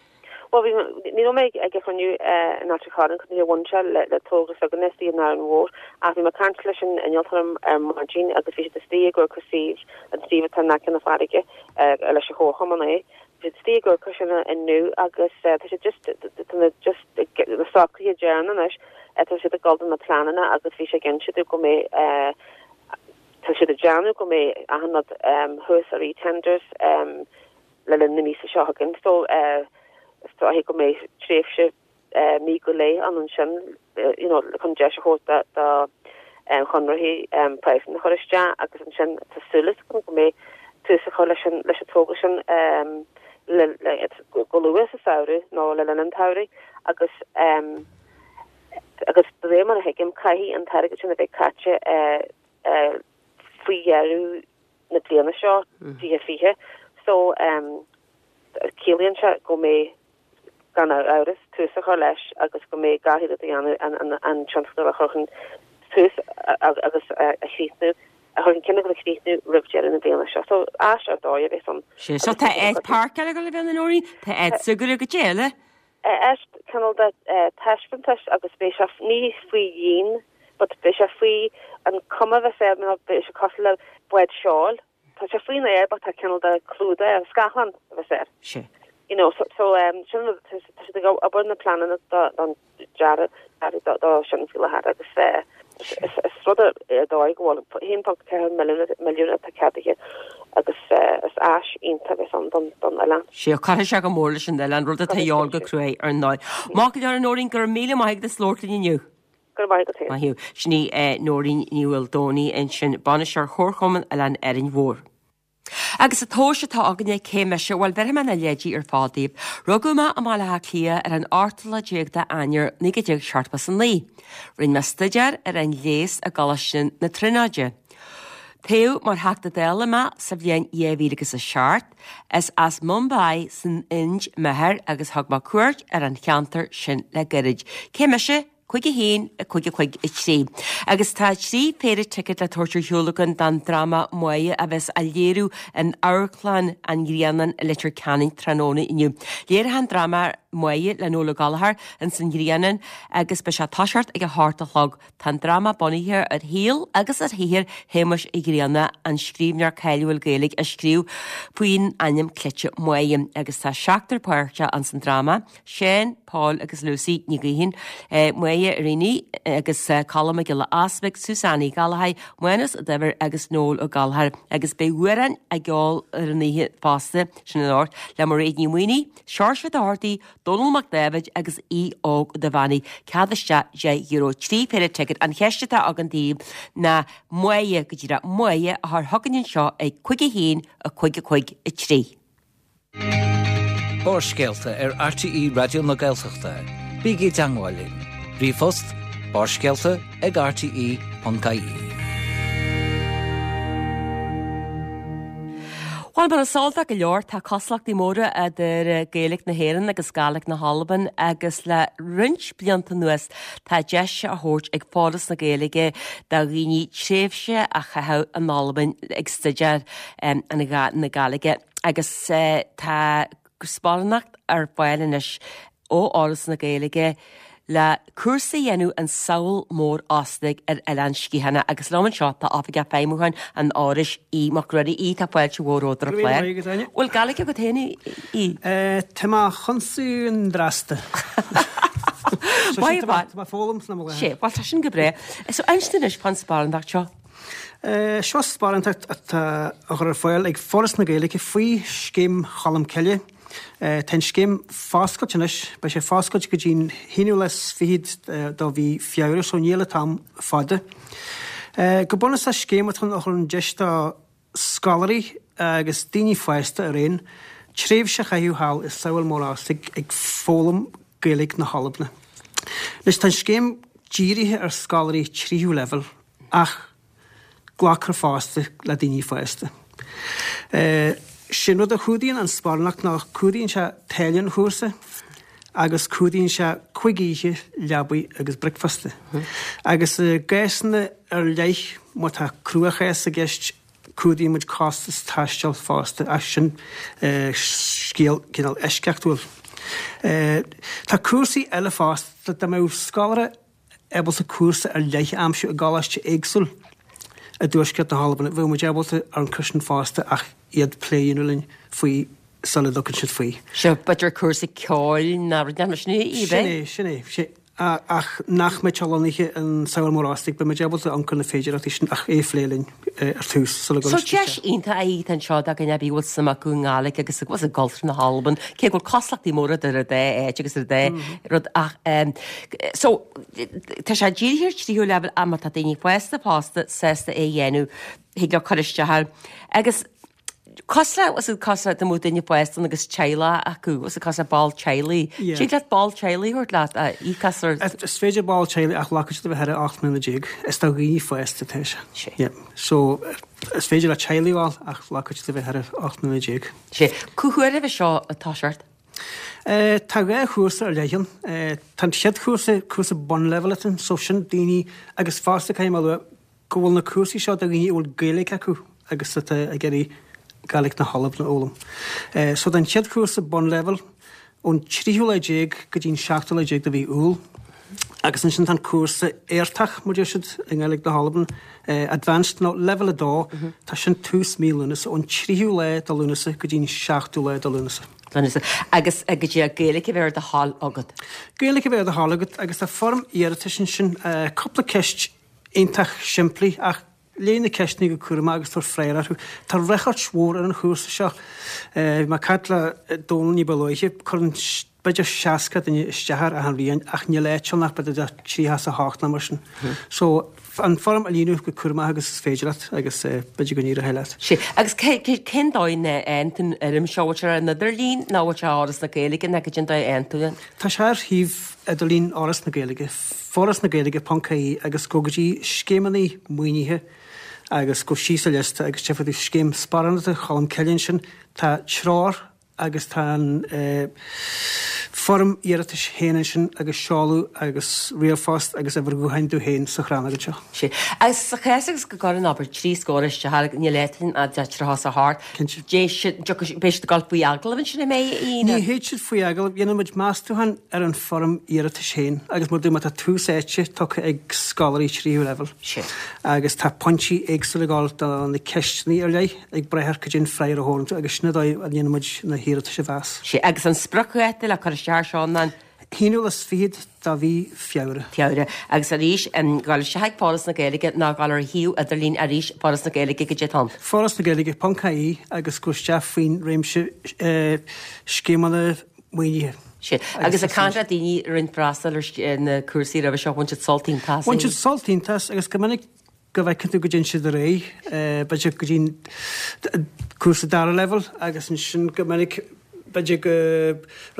Bhuel, bhí, ní raibh mé ag an chruinniú in Ailt an Chorráin, níor bhain sé le togra s'againne istigh in Árainn Mhór, ach bhí mé ag caint leis an innealtóir ar maidin agus bhí siad istigh ag amharc ar suíomh, an suíomh atá in aice na farraige, leis an chomharchumann é. Bhí siad istigh ag amharc air sin inniu agus tá siad just, tá na just na socruithe deireanacha anois, tá siad ag dul do na pleananna agus bhí sé ag inse domh go mbeidh, tá siad ag déanamh go mbeidh achan rud thuas ar eTenders le linn na míosa seo chugainn. So is dóiche go mbeidh tréimhse mí go leith ann ansin you know chun deis a thabhairt do chonraitheoirí praghsanna a chur isteach agus ansin tá súil agam go mbeidh tús á chur leis an leis an togra sin le le go luath sa samhradh nó le linn an tsamhraidh agus agus de réir mar a thuigim caithfidh an t-airgead sin a bheith caite faoi dheireadh na bliana seo 2020 so ciallaíonn sé go mbeidh gan amhras, tús a chur leis agus go mbeidh gach iarracht á dhéanamh an tionscadal a chur chun tús agus a chríochnú, a chur chun cinn agus a chríochnú roimh deireadh na bliana seo. So, áis ar dóigh a bheas ann. Sea, so tá áit páirceála ag dul a bheith ann, a Nóirín, tá áit súgartha goidé eile. Áit cineál de taispeántais agus beidh sé ní faoi dhíon but beidh sé faoi an cuma a bheas air nó beidh sé cosúil le bád seoil. Tá sé faoin aer but tá cineál de clúdach air, scáthlán a bheas air. Sea. You know, so, so um, sin rud, tá tá siad ag obair na pleananna do, don dearadh, dearadh do, do sin faoi láthair agus eh, is, is, is rud ar ar dóigh go bhfuil 1.4 milliún, milliún atá ceadaithe agus eh, is áis iontach a bheas ann don, don oileán. Sea, cuirfidh sé go mór leis an oileán, rud atá a dhíobháil go cruaidh ar ndóigh. Maith go leor a Nóirín, go raibh míle maith agat as labhairt linn inniu. Go raibh maith agat féin. Maith thú. Sin í Nóirín Ní Mhaoldomhnaigh ansin, Bainisteoir Chomharchumann Oileán Árainn Mhór. Agus an tomhas atá againne, cé mise? Bhuel, bhéarfaidh mé na leidí ar fad daoibh. Rugadh mé i mBaile Átha Cliath ar an ochtú lá déag de Eanáir 1979. Rinne mé staidéar ar an leigheas i gColáiste na Tríonóide. Toghadh mar Theachta Dála mé sa bhliain 2007. Is as Mumbai san Ind m'athair agus thug mé cuairt ar an cheantar sin le gairid. Cé mise? 5 1 5 5 3. Agus tá 3 phéire ticéad le tabhairt ar shiúl againn don dráma Máire a bheas á léiriú in Amharclann an Ghrianáin i Leitir Ceanainn tráthnóna inniu. Léireofar an dráma Máire le Noel Ó Gallchóir ins an Ghrianán agus beidh sé ag toiseacht ag a hocht a chlog. Tá an dráma bunaithe ar shaol agus ar shaothar Shéamuis Uí Ghrianna, an scríbhneoir cáiliúil Gaeilge a scríobh faoin ainm cleite Máire, agus tá seachtar páirteach ins an dráma, Seán, Paul agus Lucy Ní Ghaoithín, Máire Reaney agus Colm Mac Giolla Easbuig, Suzanne Uí Ghallchóir, Mánus Ó Duibhir agus Noel Ó Gallchóir, agus beidh amhráin á gceol ar an oíche fosta, sin anocht, le Mairéad Ní Mhaonaigh, Seoirse Ó Dochartaigh, Dónall Mac Dáibhid agus Aodh Óg Ó Duibheannaigh, cead isteach €10, 3 phéire ticéad. An cheist atá againn daoibh ná Máire, go díreach, Máire a chur chugainn anseo ag 5 1 5 5 3. Barrscéalta ar RTÉ Raidió na Gaeltachta. Bígí i dteangmháil linn. Ríomhphost, barrscéalta ag rte.ie. Bhuel, mar is eol do go leor, tá cosúlachtaí móra idir Gaeilge na hÉireann agus Gàidhlig na hAlban agus le roinnt blianta anuas tá deis á thabhairt ag Foras na Gaeilge do dhaoine tréimhse a chaitheamh in Albain ag staidéar na Gàidhlige agus tá sparánacht ar fáil anois ó Fhoras na Gaeilge. Le cúrsa a dhéanamh an Sabhal Mór Ostaig ar Oileán Sgitheanach agus liom anseo tá Oifigeach Feidhmiúcháin an Fhorais, Aodh Mac Ruairí. Aodh, tá fáilte mhór romhat ar an chlár. Go raibh míle maith agat, Áine. Bhfuil Gaeilge agat féin, a Aodh? Tá mé chun an drasta. Maith Tá mé ag foghlaim sna mo láthair. Sé, bhuel tá sin go breá. So inis dúinn anois fán sparántacht seo. Seo sparántacht atá á chur ar fáil ag Foras na Gaeilge faoi Scéim Cholm Cille. Tá an scéim foscailte anois, beidh sé foscailte go dtí'n haonú lá is fichead de mhí Feabhra so níl an t-am fada. Go bunúsach scéim atá ann a chuireann deis do scoláirí agus daoine fásta araon tréimhse a chaitheamh thall i Sabhal Mór Ostaig ag foghlaim Gaeilge na hAlban. Anois tá an scéim dírithe ar scoláirí tríú leibhéal ach glacfar fosta le daoine fásta. Sé'n rud a chumhdaíonn an sparánacht ná cumhdaíonn sé táille an chúrsa agus cumhdaíonn sé cuig oíche leabaidh agus bricfeasta. Agus i gcásanna ar leith má tá cruachás i gceist cumhdaíonn muid costas taistil fosta ach sin scéal cineál eisceachtúil. Tá cúrsaí eile fosta dá mbeadh scoláire ábalta cúrsa ar leith a aimsiú i gcoláiste éagsúil i dtuaisceart na hAlban. Bheadh muid ábalta amharc air sin fosta ach iad plé a dhéanamh linn faoi sula dtugann siad faoi. Seo b'fhéidir cúrsa ceoil nó rud mar sin é? Sin é, sin é. Sé, ach nach mbeadh sé lonnaithe in Sabhal Mór Ostaig, beidh muid ábalta amharc ar na féidearthachtaí sin ach é a phlé linn ar tús sula gcuireann siad isteach. So deis iontach é atá anseo do dhuine ar bith a bhfuil suim acu i nGaeilge agus i gcultúr na hAlban, cé go bhfuil cosúlachtaí móra idir an dá áit agus an dá rud ach So, tá sé dírithe ar tríú leibhéal ach má tá daoine fásta fosta sásta é a dhéanamh, thig leo cur isteach air. Agus cosúil le, cosúil le dá mbeadh duine fásta ann agus teaghlach acu, cosúil le ball teaghlaigh. Yeah. Tig leat ball teaghlaigh a thabhairt leat a íocas ar... Is féidir ball teaghlaigh ach glacfaidh siad a bheith thar 18 mbliana. Is do dhaoine fásta atá sé. Sé. Yeah. So, is féidir le teaghlaigh a ghabháil ach glacfaidh siad a bheith thar 18 mbliana. Sé. Cá huair a bheidh seo ag toiseacht? Tá dhá chúrsa ar leith ann. Tá an chéad chúrsa, cúrsa bunleibhéil atá ann, so sin daoine, agus fosta caithfidh mé a lua go bhfuil na cúrsaí seo do dhaoine a bhfuil Gaeilge acu agus atá ag iarraidh Gaeilge na hAlban a fhoghlaim. So tá an chéad chúrsa bunleibhéil ón tríú lá déag go dtí an seachtú lá déag de mhí Iúil agus ansin tá an cúrsa éigeartach, mar deir siad i nGaeilge na hAlban, Advanced nó Leibhéal 2, tá sin tús mí Lúnasa, ón tríú lá de Lúnasa go dtí an seachtú lá de Lúnasa. Lúnasa. Agus go dtí Gaeilge a bheith ar do thoil agat. Gaeilge a bheith ar do thoil agat agus tá foirm iarratais ansin, cúpla ceist iontach simplí ach léigh na ceisteanna go cúramach agus tabhair freagra orthu. Tá ráchairt mhór ar an chúrsa seo. Bhí mé ag caint le Dónal ní ba luaithe, cuireann b'fhéidir 60 duine isteach air achan bhliain ach níl áit ann ach b'fhéidir do 38 nó mar sin. So, an foirm a líonadh go cúramach agus is féidir leat agus b'fhéidir go n-éireoidh leat. Sea. Agus cén dóigh a fhaigheann tú an fhoirm seo? Bhfuil sé ar an idirlíon nó bhfuil sé ar Fhoras na Gaeilge nó cén dóigh a fhaigheann tú é? Tá sé ar shuíomh idirlín Fhoras na Gaeilge, forasnagaeilge.ie agus gabh go dtí scéimeanna maoinithe agus gabh síos an liosta agus tchífidh tú scéim sparánachta Cholm Cille ansin. Tá treoir agus tá an foirm iarratais féin ansin agus seoladh agus ríomhphost agus uimhir ghutháin tú féin sa chrannóg anseo. Sea. Agus sa chás agus go gcuireann abair trí scór isteach air, níl áit ann ach 38. Cinnte. Dé siad, dtiocfaidh, beidh siad ag dul faoi agallamh ansin an mbeidh, a Aoidh? Ní théid siad faoi agallamh, dhéanann muid meastúchán ar an foirm iarratais féin agus mar a dúirt mé tá tús áite tugtha ag scoláirí tríú leibhéal. Sea. Agus tá pointí éagsúla ag dul do na ceisteanna ar leith. ag brath ar cad é an freagra a thabharann tú agus sin an dóigh a ndéanann muid na hiarratais a mheas. Sea, agus an spriocdháta le cur isteach air seo ná an. haonú lá is fichead de mhí Feabhra. Feabhra. Agus arís, gabháil isteach ag Foras na Gaeilge nó gabháil ar a shuíomh idirlín arís, Foras na Gaeilge, cad é atá ann. Foras na Gaeilge ponc ie agus gabh isteach faoin réimse scéimeanna maoinithe. Sea. Agus ag caint le daoine a rinne freastal ar na cúrsaí roimhe seo, bhain siad sult iontach as. Bhain siad sult iontach as agus go minic go bhfeiceann tú go dtéann siad ar aghaidh, b'fhéidir go dtí an cúrsa dara leibhéal agus ansin go minic b'fhéidir go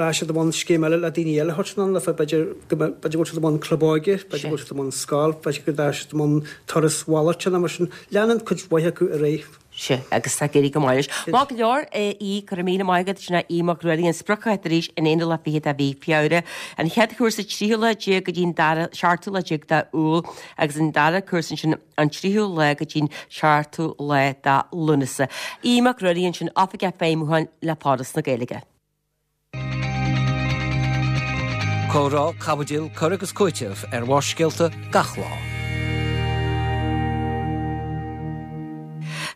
rachaidh siad i mbun scéim eile le daoine eile a thabhairt anonn leofa, b'fhéidir go b'fhéidir go bhfuil siad i mbun club óige, b'fhéidir go bhfuil siad i mbun scoil, b'fhéidir go dtagann siad i mbun turas mhalairte nó mar sin. Leanann cuid mhaith acu ar aghaidh. Sea, agus tá ag éirí go maith leis. Maith go leor, a Aoidh, go raibh míle maith agat, sin é Aodh Mac Ruairí, an spriocdháta arís an aonú lá fichead de mhí Feabhra. An chéad chúrsa tríú lá déag go dtí an dara, seachtú lá déag de Iúil agus an dara cúrsa ansin an tríú lá go dtí an seachtú lá de Lúnasa. Aodh Mac Ruairí ansin, Oifigeach Feidhmiúcháin le Foras na Gaeilge. Comhrá, caibidil, cur agus cúiteamh ar Bharrscéalta gach lá.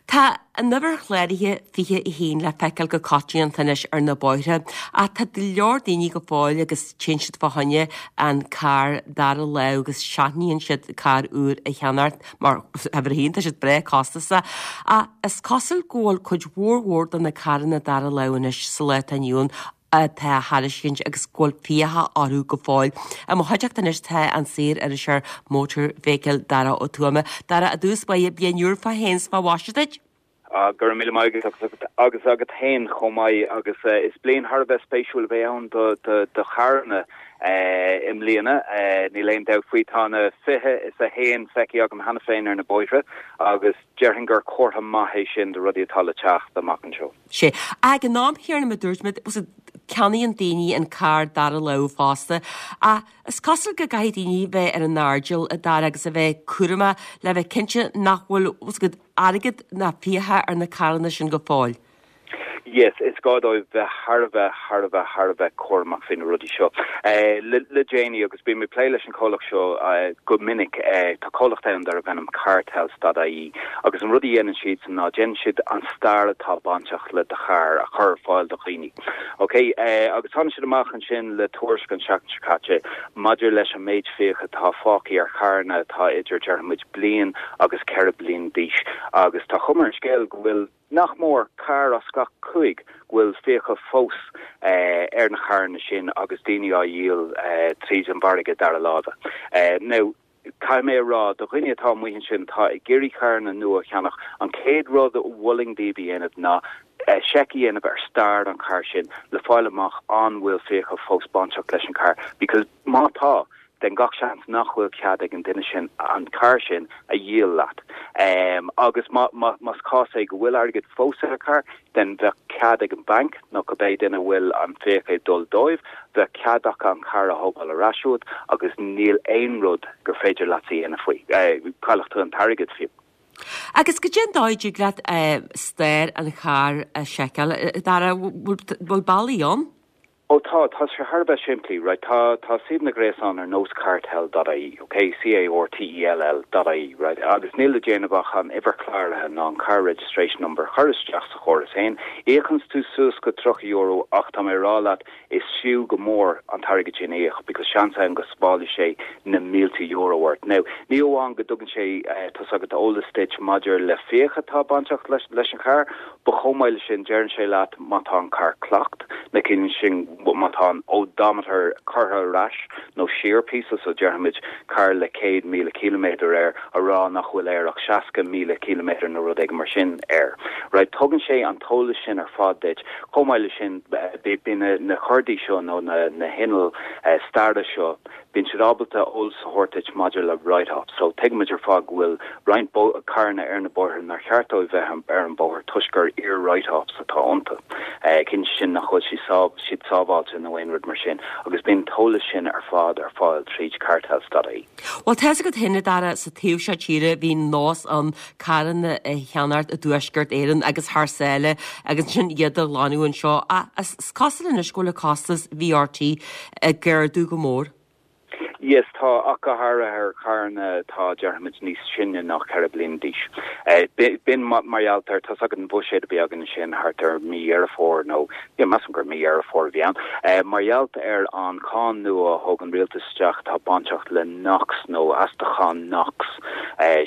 Tá an uimhir chláraithe 21 le feiceáil go coitianta anois ar na bóithre ach tá go leor daoine go fóill agus téann siad fá choinne an carr dara lámh agus seachnaíonn siad carr úr a cheannacht mar uimhir a haon tá siad breá costasach ach is cosúil go bhfuil cuid mhór mhór de na carranna dara lámh anois sa lá atá inniu ann atá á thairiscint agus go bhfuil fiacha orthu go fóill. I mo chuideachta anois tá an saor-iriseoir Motor Vehicle Dara Ó Tuama. Dara, i dtús báire, bliain úr fá shéan 's fá mhaise duit. Go raibh míle maith agat agus agat féin chomh maith agus is bliain thar a bheith spéisiúil a bheidh ann do charranna i mbliana, níl aon dabht faoi. Tá na 21 feicthe agam cheana féin ar na bóithre agus déarfainn gur comhartha maith é sin do rudaí atá le teacht amach anseo. Sea. Ag an am chéanna mar a dúirt mé, ceannaíonn daoine an carr dara lámh fosta. Ach is cosúil go gcaithfidh daoine bheith ar a n-airdeall, a Dhara, agus a bheith cúramach le bheith cinnte nach bhfuil airgead ná fiacha ar na carranna sin go fóill. Yes, is gá dóibh bheith thar a bheith, thar a bheith, thar a bheith cúramach faoi na rudaí seo. Le déanaí, agus bím ag plé leis an chomhlacht seo go minic, tá comhlacht ann darb ainm Cartells.ie agus an rud a dhéanann siadsan ná déanann siad an stair atá bainteach le do charr a chur ar fáil do dhaoine. Ok, agus tháinig siad amach ansin le tuairisc an tseachtain seo caite maidir leis an méid fiacha atá fágtha ar charranna atá idir, déarfaidh muid, bliain agus 4 bliana d'aois agus tá cuma ar an scéal go bhfuil nach mór carr as gach 5 go bhfuil fiacha fós ar na carranna sin agus daoine á dhíol tríd an mhargadh dara láimhe. Now, Caithfidh mé a rá, do dhaoine atá amuigh ansin atá ag iarraidh carranna nua a cheannach, an chéad rud a mholfainn daoibh a dhéanamh ná seic a dhéanamh ar stair an chairr sin le fáil amach an bhfuil fiacha fós bainteach leis an charr because má tá, then gach seans nach bhfuil cead ag an duine sin an carr sin a dhíol leat. Agus más cás é go bhfuil airgead fós ar an charr, then bheadh cead ag an banc nó cibé duine a bhfuil an fiacha ag dul dóibh, bheadh cead acu an carr a thógáil ar ais uait agus níl aon rud gur féidir leatsa a dhéanamh faoi. Caillfidh tú an t-airgead fiú. Agus goidé an dóigh a dtig leat stair an chairr a sheiceáil, a Dhara, bhfuil bealaí ann? Ó tá, tá sé thar a bheith simplí, right, tá, tá suíomhanna gréasáin ar nós cartell dot ie, ok, C-A-R-T-E-L-L dot ie, right, agus níl le déanamh ach an uimhir chláraithe ná an car registration number a chur isteach sa chóras féin, íocanns tú suas go €30 ach tá mé a rá leat is fiú go mór an t-airgead sin a íoc because seans ann go sábhálfaidh sé na mílte euro ort. Now, ní amháin go dtugann sé, tá's agat, eolas duit maidir le fiacha atá bainteach leis, leis an charr, But chomh maith leis sin, deireann sé leat má tá an carr clocked, nó ciallaíonn sin má tá an odometer curtha ar ais nó siar píosa, so déarfaimid carr le 100,000 ciliméadar air a rá nach bhfuil air ach 60,000 ciliméadar nó rud éigin mar sin air. Right, tugann sé an t-eolas sin ar fad duit. Chomh maith leis sin, bíonn na cordaí seo nó na hinnill staire seo, Bíonn siad ábalta eolas a thabhairt duit maidir le write-offs. So, tuigimid ar fad go bhfuil roinnt carranna ar na bóithre nár cheart dóibh bheith ar an bóthar toisc gur iar-write-offs atá iontu. Ciallaíonn sin nach bhfuil siad sábháilte nó aon rud mar sin. Agus bíonn an t-eolas sin ar fad ar fáil tríd cartells.ie. Bhuel, tá's agat féin, a Dhara, sa taobh seo tíre bhí nós ann carranna a cheannacht i dTuaisceart Éireann agus thar sáile agus ansin iad a ghlanadh anseo. Ach is cosúil anois go bhfuil an costas VRT ag ardú go mór. Yes, tá, ach go háirithe ar charranna atá, déarfaimid, níos sine ná 4 bliana d'aois. B'in mar gheall ar, tá's agat an bhuiséad a bhí againn ansin thart ar mí Dheireadh Fómhair nó, yeah, measaim gur mí Dheireadh Fómhair a bhí ann, mar gheall ar an cháin nua a thóg an rialtas isteach atá bainteach le NOx nó astachán NOx,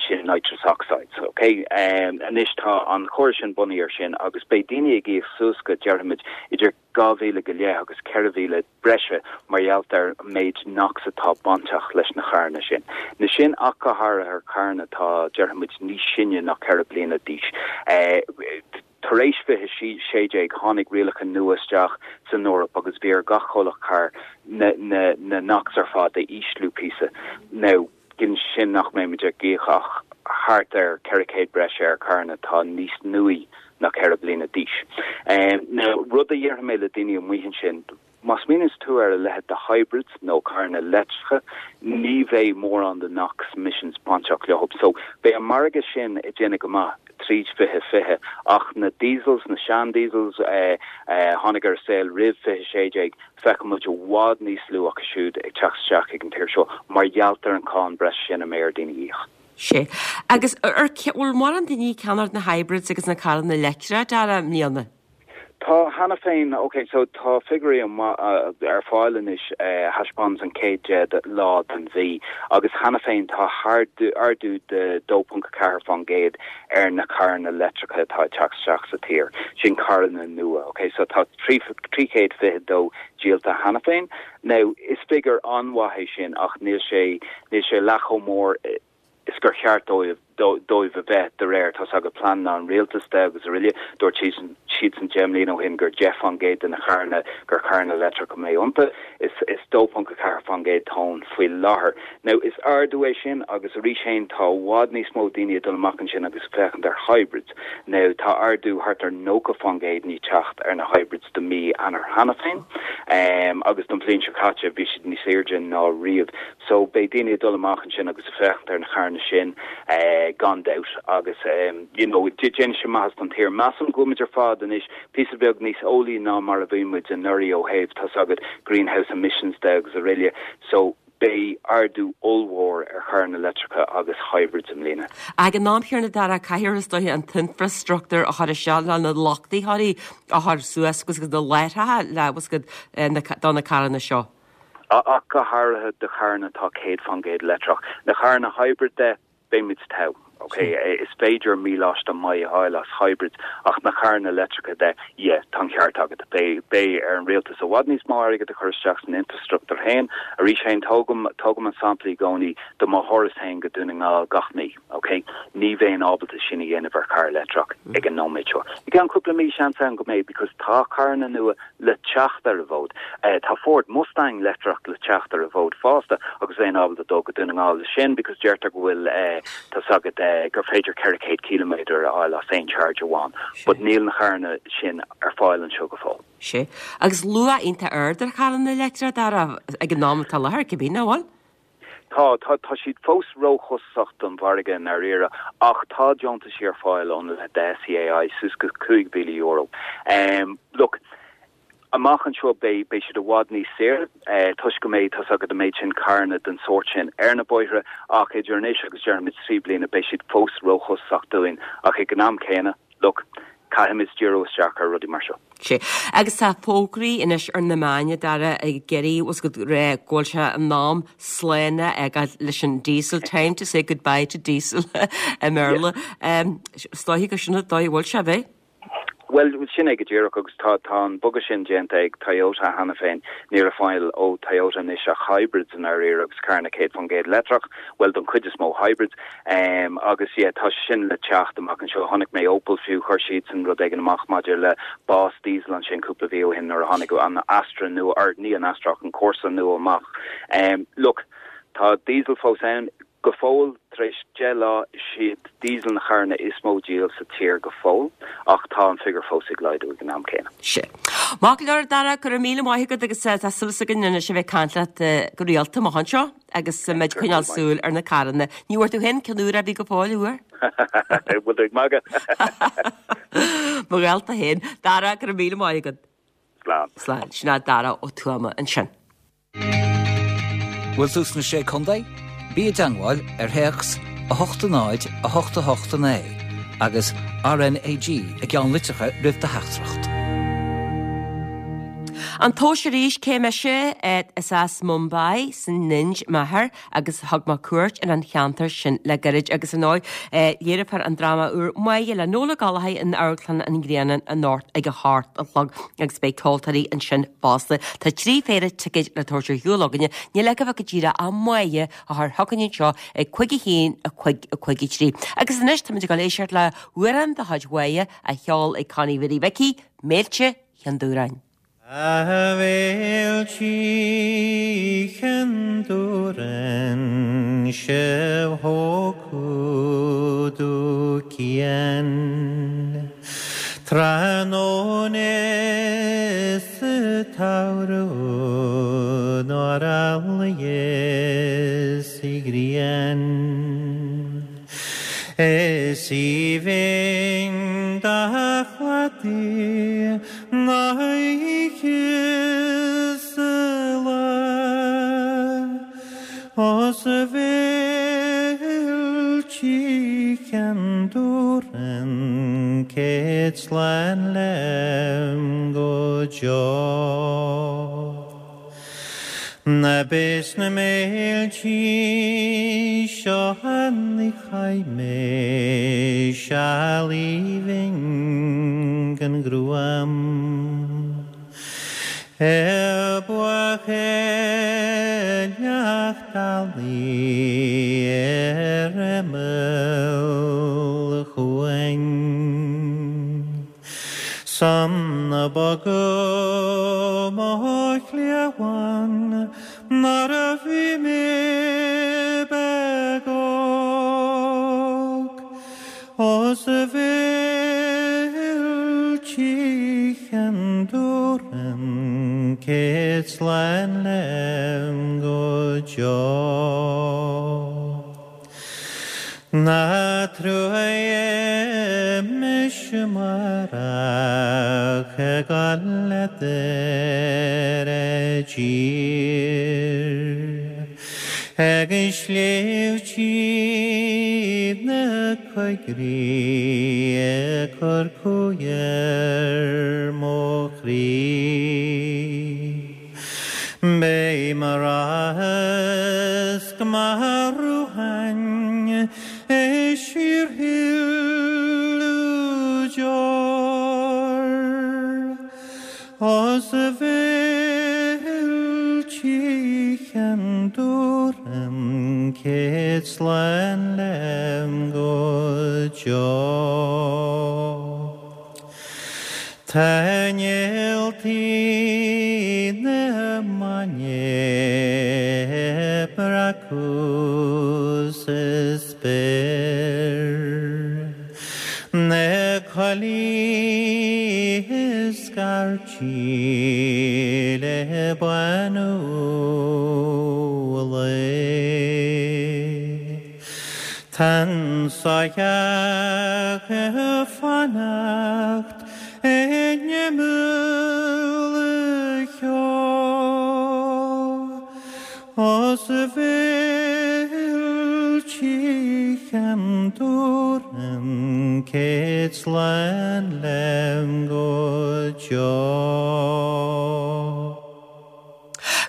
sin nitrous oxides, ok? Anois tá an chóras sin bunaithe ar sin agus beidh daoine ag íoc suas go, déarfaimid, idir 2,000 go leith agus 4,000 breise mar gheall ar an méid NOx atá bainteach leis na carranna sin. Na sin ach go háirithe ar charranna atá, déarfaimid, níos sine ná 4 bliana d'aois. Tar éis 2016 tháinig rialacha nua isteach san Eoraip agus bhí ar gach comhlacht carr na na NOx ar fad a ísliú píosa. Now, ciallaíonn sin nach mbeimid ag íoc ach thart ar 400 breise ar charranna atá níos nuaí ná 4 bliana d'aois. Now, rud a dhéarfaidh mé le daoine amuigh ansin. Má smaoiníonns tú ar a leithéid de hybrids nó carranna leictreacha, ní bheidh mórán de NOx emissions bainteach leo. So, beidh an margadh sin ag déanamh go maith tríd 2020 ach na diesels, na sean-diesels a tháinig ar an saol roimh 2016, feicfidh muid i bhfad níos lú acu siúd ag teacht isteach ag an tír seo mar gheall ar an cáin breise sin a mbeidh ar daoine a íoc. Sea. Agus ar, bhfuil mórán daoine ag ceannacht na hybrids agus na carranna leictreacha, Dara, i mbliana? Tá cheana féin, ok, so tá figiúirí ar fáil anois a thaispeánanns an chéad 10 lá den mhí agus cheana féin tá ardú de 2.4% ar na carranna leictreacha atá ag teacht isteach sa tír, sin carranna nua, ok, so tá 322 díolta cheana féin. Now, is figiúr an-mhaith é sin ach níl sé, níl sé leath chomh mór is gur cheart dóibh dóibh a bheith de réir, tá's agat, pleananna an rialtais de agus araile. Dúirt siadsan 10 mbliana ó shin gur 10% de na carranna gur carranna leictreacha a mbeidh iontu. Is is 2.4% atá ann faoi láthair. Now is ardú é sin agus arís féin tá i bhfad níos mó daoine ag dul amach ansin agus ag féachaint ar hybrids. Now tá ardú thart ar 90% i ndiaidh teacht ar na hybrids do mí Eanáir cheana féin agus don bhliain seo caite bhí siad níos airde ná riamh. So beidh daoine ag dul amach ansin agus ag féachaint ar na carranna sin gan dabht agus you know déanfaidh sé maitheas don tír. Measaim go bhfuil muid ar fad anois píosa beag níos eolaí ná mar a bhí muid anuraidh ó thaobh tá's agat greenhouse emissions de agus araile so beidh ardú ollmhór ar charranna leictreacha agus hybrids i mbliana. Ag an am chéanna Dara, caithfear is dóiche an t-infreastruchtúr a chur isteach le na luchtaitheoirí a chur suas agus na láithreacha le do na carranna seo. Ach go háirithe do charranna atá 100% leictreach. Na carranna hybrid de, beidh muid togha. Ok, is féidir míleáiste maith a fháil as hybrids ach na carranna leictreacha de, yeah, tá an ceart agat. Beidh, beidh ar an rialtas i bhfad níos mó airgead a chur isteach san infreastruchtúr féin. Arís féin, tógaim, tógaim an sampla i gcónaí de mo thuras féin go Dún na nGall gach mí, ok? Ní bheinn ábalta sin a dhéanamh ar charr leictreach ag an nóiméad seo. I gceann cúpla mí, seans ann go mbeidh because tá carranna nua le teacht ar an bhfód. Tá Ford Mustang leictreach le teacht ar an bhfód fosta agus bheinn ábalta dul go Dún na nGall leis sin because deirtear go bhfuil, tá's agat, gur féidir 400 ciliméadar a fháil as aon charge amháin. But níl na carranna sin ar fáil anseo go fóill. Sea. Agus luach iontach ard ar charranna leictreacha, Dara, ag an am atá i láthair, cibé, nach bhfuil? Tá, tá, tá siad fós róchostasach don mhargadh i ndáiríre ach tá deontaisí ar fáil ón leithéid de SEAI suas go €5,000. Look, amach anseo beidh, beidh siad i bhfad níos saoire toisc go mbeidh, tá's agat, an méid sin carranna den sórt sin ar na bóithre ach idir anois agus déarfaimid 3 bliana beidh siad fós róchostasach dúinn ach ag an am céanna, Look, caithfimid díriú isteach ar rudaí mar seo. Sea. Agus tá fógraí anois ar na meáin, a Dara, ag iarraidh, bhfuil 's agat, rá go bhfuil sé in am slán a fhágáil leis an diesel, time to say goodbye to diesel i mBéarla. Is dóiche gur sin an dóigh a bhfuil sé, ab é? Bhuel, sin é go díreach agus tá tá an bogadh sin déanta ag Toyota cheana féin. Níl ar fáil ó Toyota anois ach hybrids i ndáiríre agus carranna 100% leictreach, bhuel don chuid is mó hybrids. Agus yeah, tá sé sin le teacht amach anseo. Chonaic mé Opel fiú, chuir siadsan rud éigin amach maidir le bás diesel ansin cúpla mhí ó shin nuair a tháinig an Astra nua, or ní an Astra ach an Corsa nua amach. Look, tá diesel fós ann go fóill, tar éis 10 lá, is iad diesel na carranna is mó díol sa tír go fóill, ach tá an figiúr fós ag laghdú ag an am céanna. Sea. Maith go leor, Dara, go raibh míle maith agat agus tá súil againn anois a bheith ag caint leat go rialta amach anseo. Agus muid ag coinneáil súil ar na carranna. Ní bhfuair tú féin ceann úr ar bith go fóill, an bhfuair? Bhfuil tú ag magadh? Mo ghalta féin. Dara, go raibh míle maith agat. Slán. Slán. Sin é Dara Ó Tuama ansin. Bhfuil tú sna Sé Contae? Bí i dteangmháil ar théacs 8 0 8 8 9 agus RNAG i gceannlitreacha roimh do theachtaireacht. An tomhas arís, cé mise? Is as Mumbai san Ind m'athair agus thug mé cuairt ar an cheantar sin le gairid agus ar ndóigh léireofar an dráma úr Máire le Noel Ó Gallchóir in Amharclann an Ghrianáin anocht ag a hocht a chlog agus beidh ceoltóirí ansin fosta. Tá 3 phéire ticéid le tabhairt ar shiúl againne, níl agaibh ach go díreach ach Máire a chur chugainn anseo ag 5 1 5 5 3. Agus anois táimid ag dul éisteacht le hamhrán de chuid Mháire á cheol ag Connie Mhary Mhicí, Méilte Chinn Dúráin. A Mhéiltí Chinn Dúráin, sibh thógfadh cian. Tráthnóna Sa tsamhradh nár fholmhaíos an ghrian. Is aoibhinn do chladaí na hoíche 's a lá. Os a bhfilltí Cheann Dubhrann céad slán liom go deo. Ná beidh sna méiltí seo ní chaith mé seal aoibhinn gan ghruaim. Ar buachailleacht ealaí ar imeall an chuain. 'S ann a bogadh mo chliabhán nuair a bhí mé beag óg. Os a bhfilltí Cheann Dubhrann céad slán liom go deo. Ná truaigh mise amárach ag gabháil leat ar an dtír. Ag sléibhtí na coigrích ag cur cumhaidh ar mo chroí. Beidh mo rasc mar rúthain ag síorshileadh deor. Os a bhfilltí Cheann Dubhrann céad slán liom go deo. Tá néaltaí na maidne ag breacadh sa spéir. Na coiligh ag scairtigh le bánú an lae. Tá an soitheach ag fanacht in imeall an cheo. Os a bhfilltí Cheann Dubhrann céad slán liom go deo.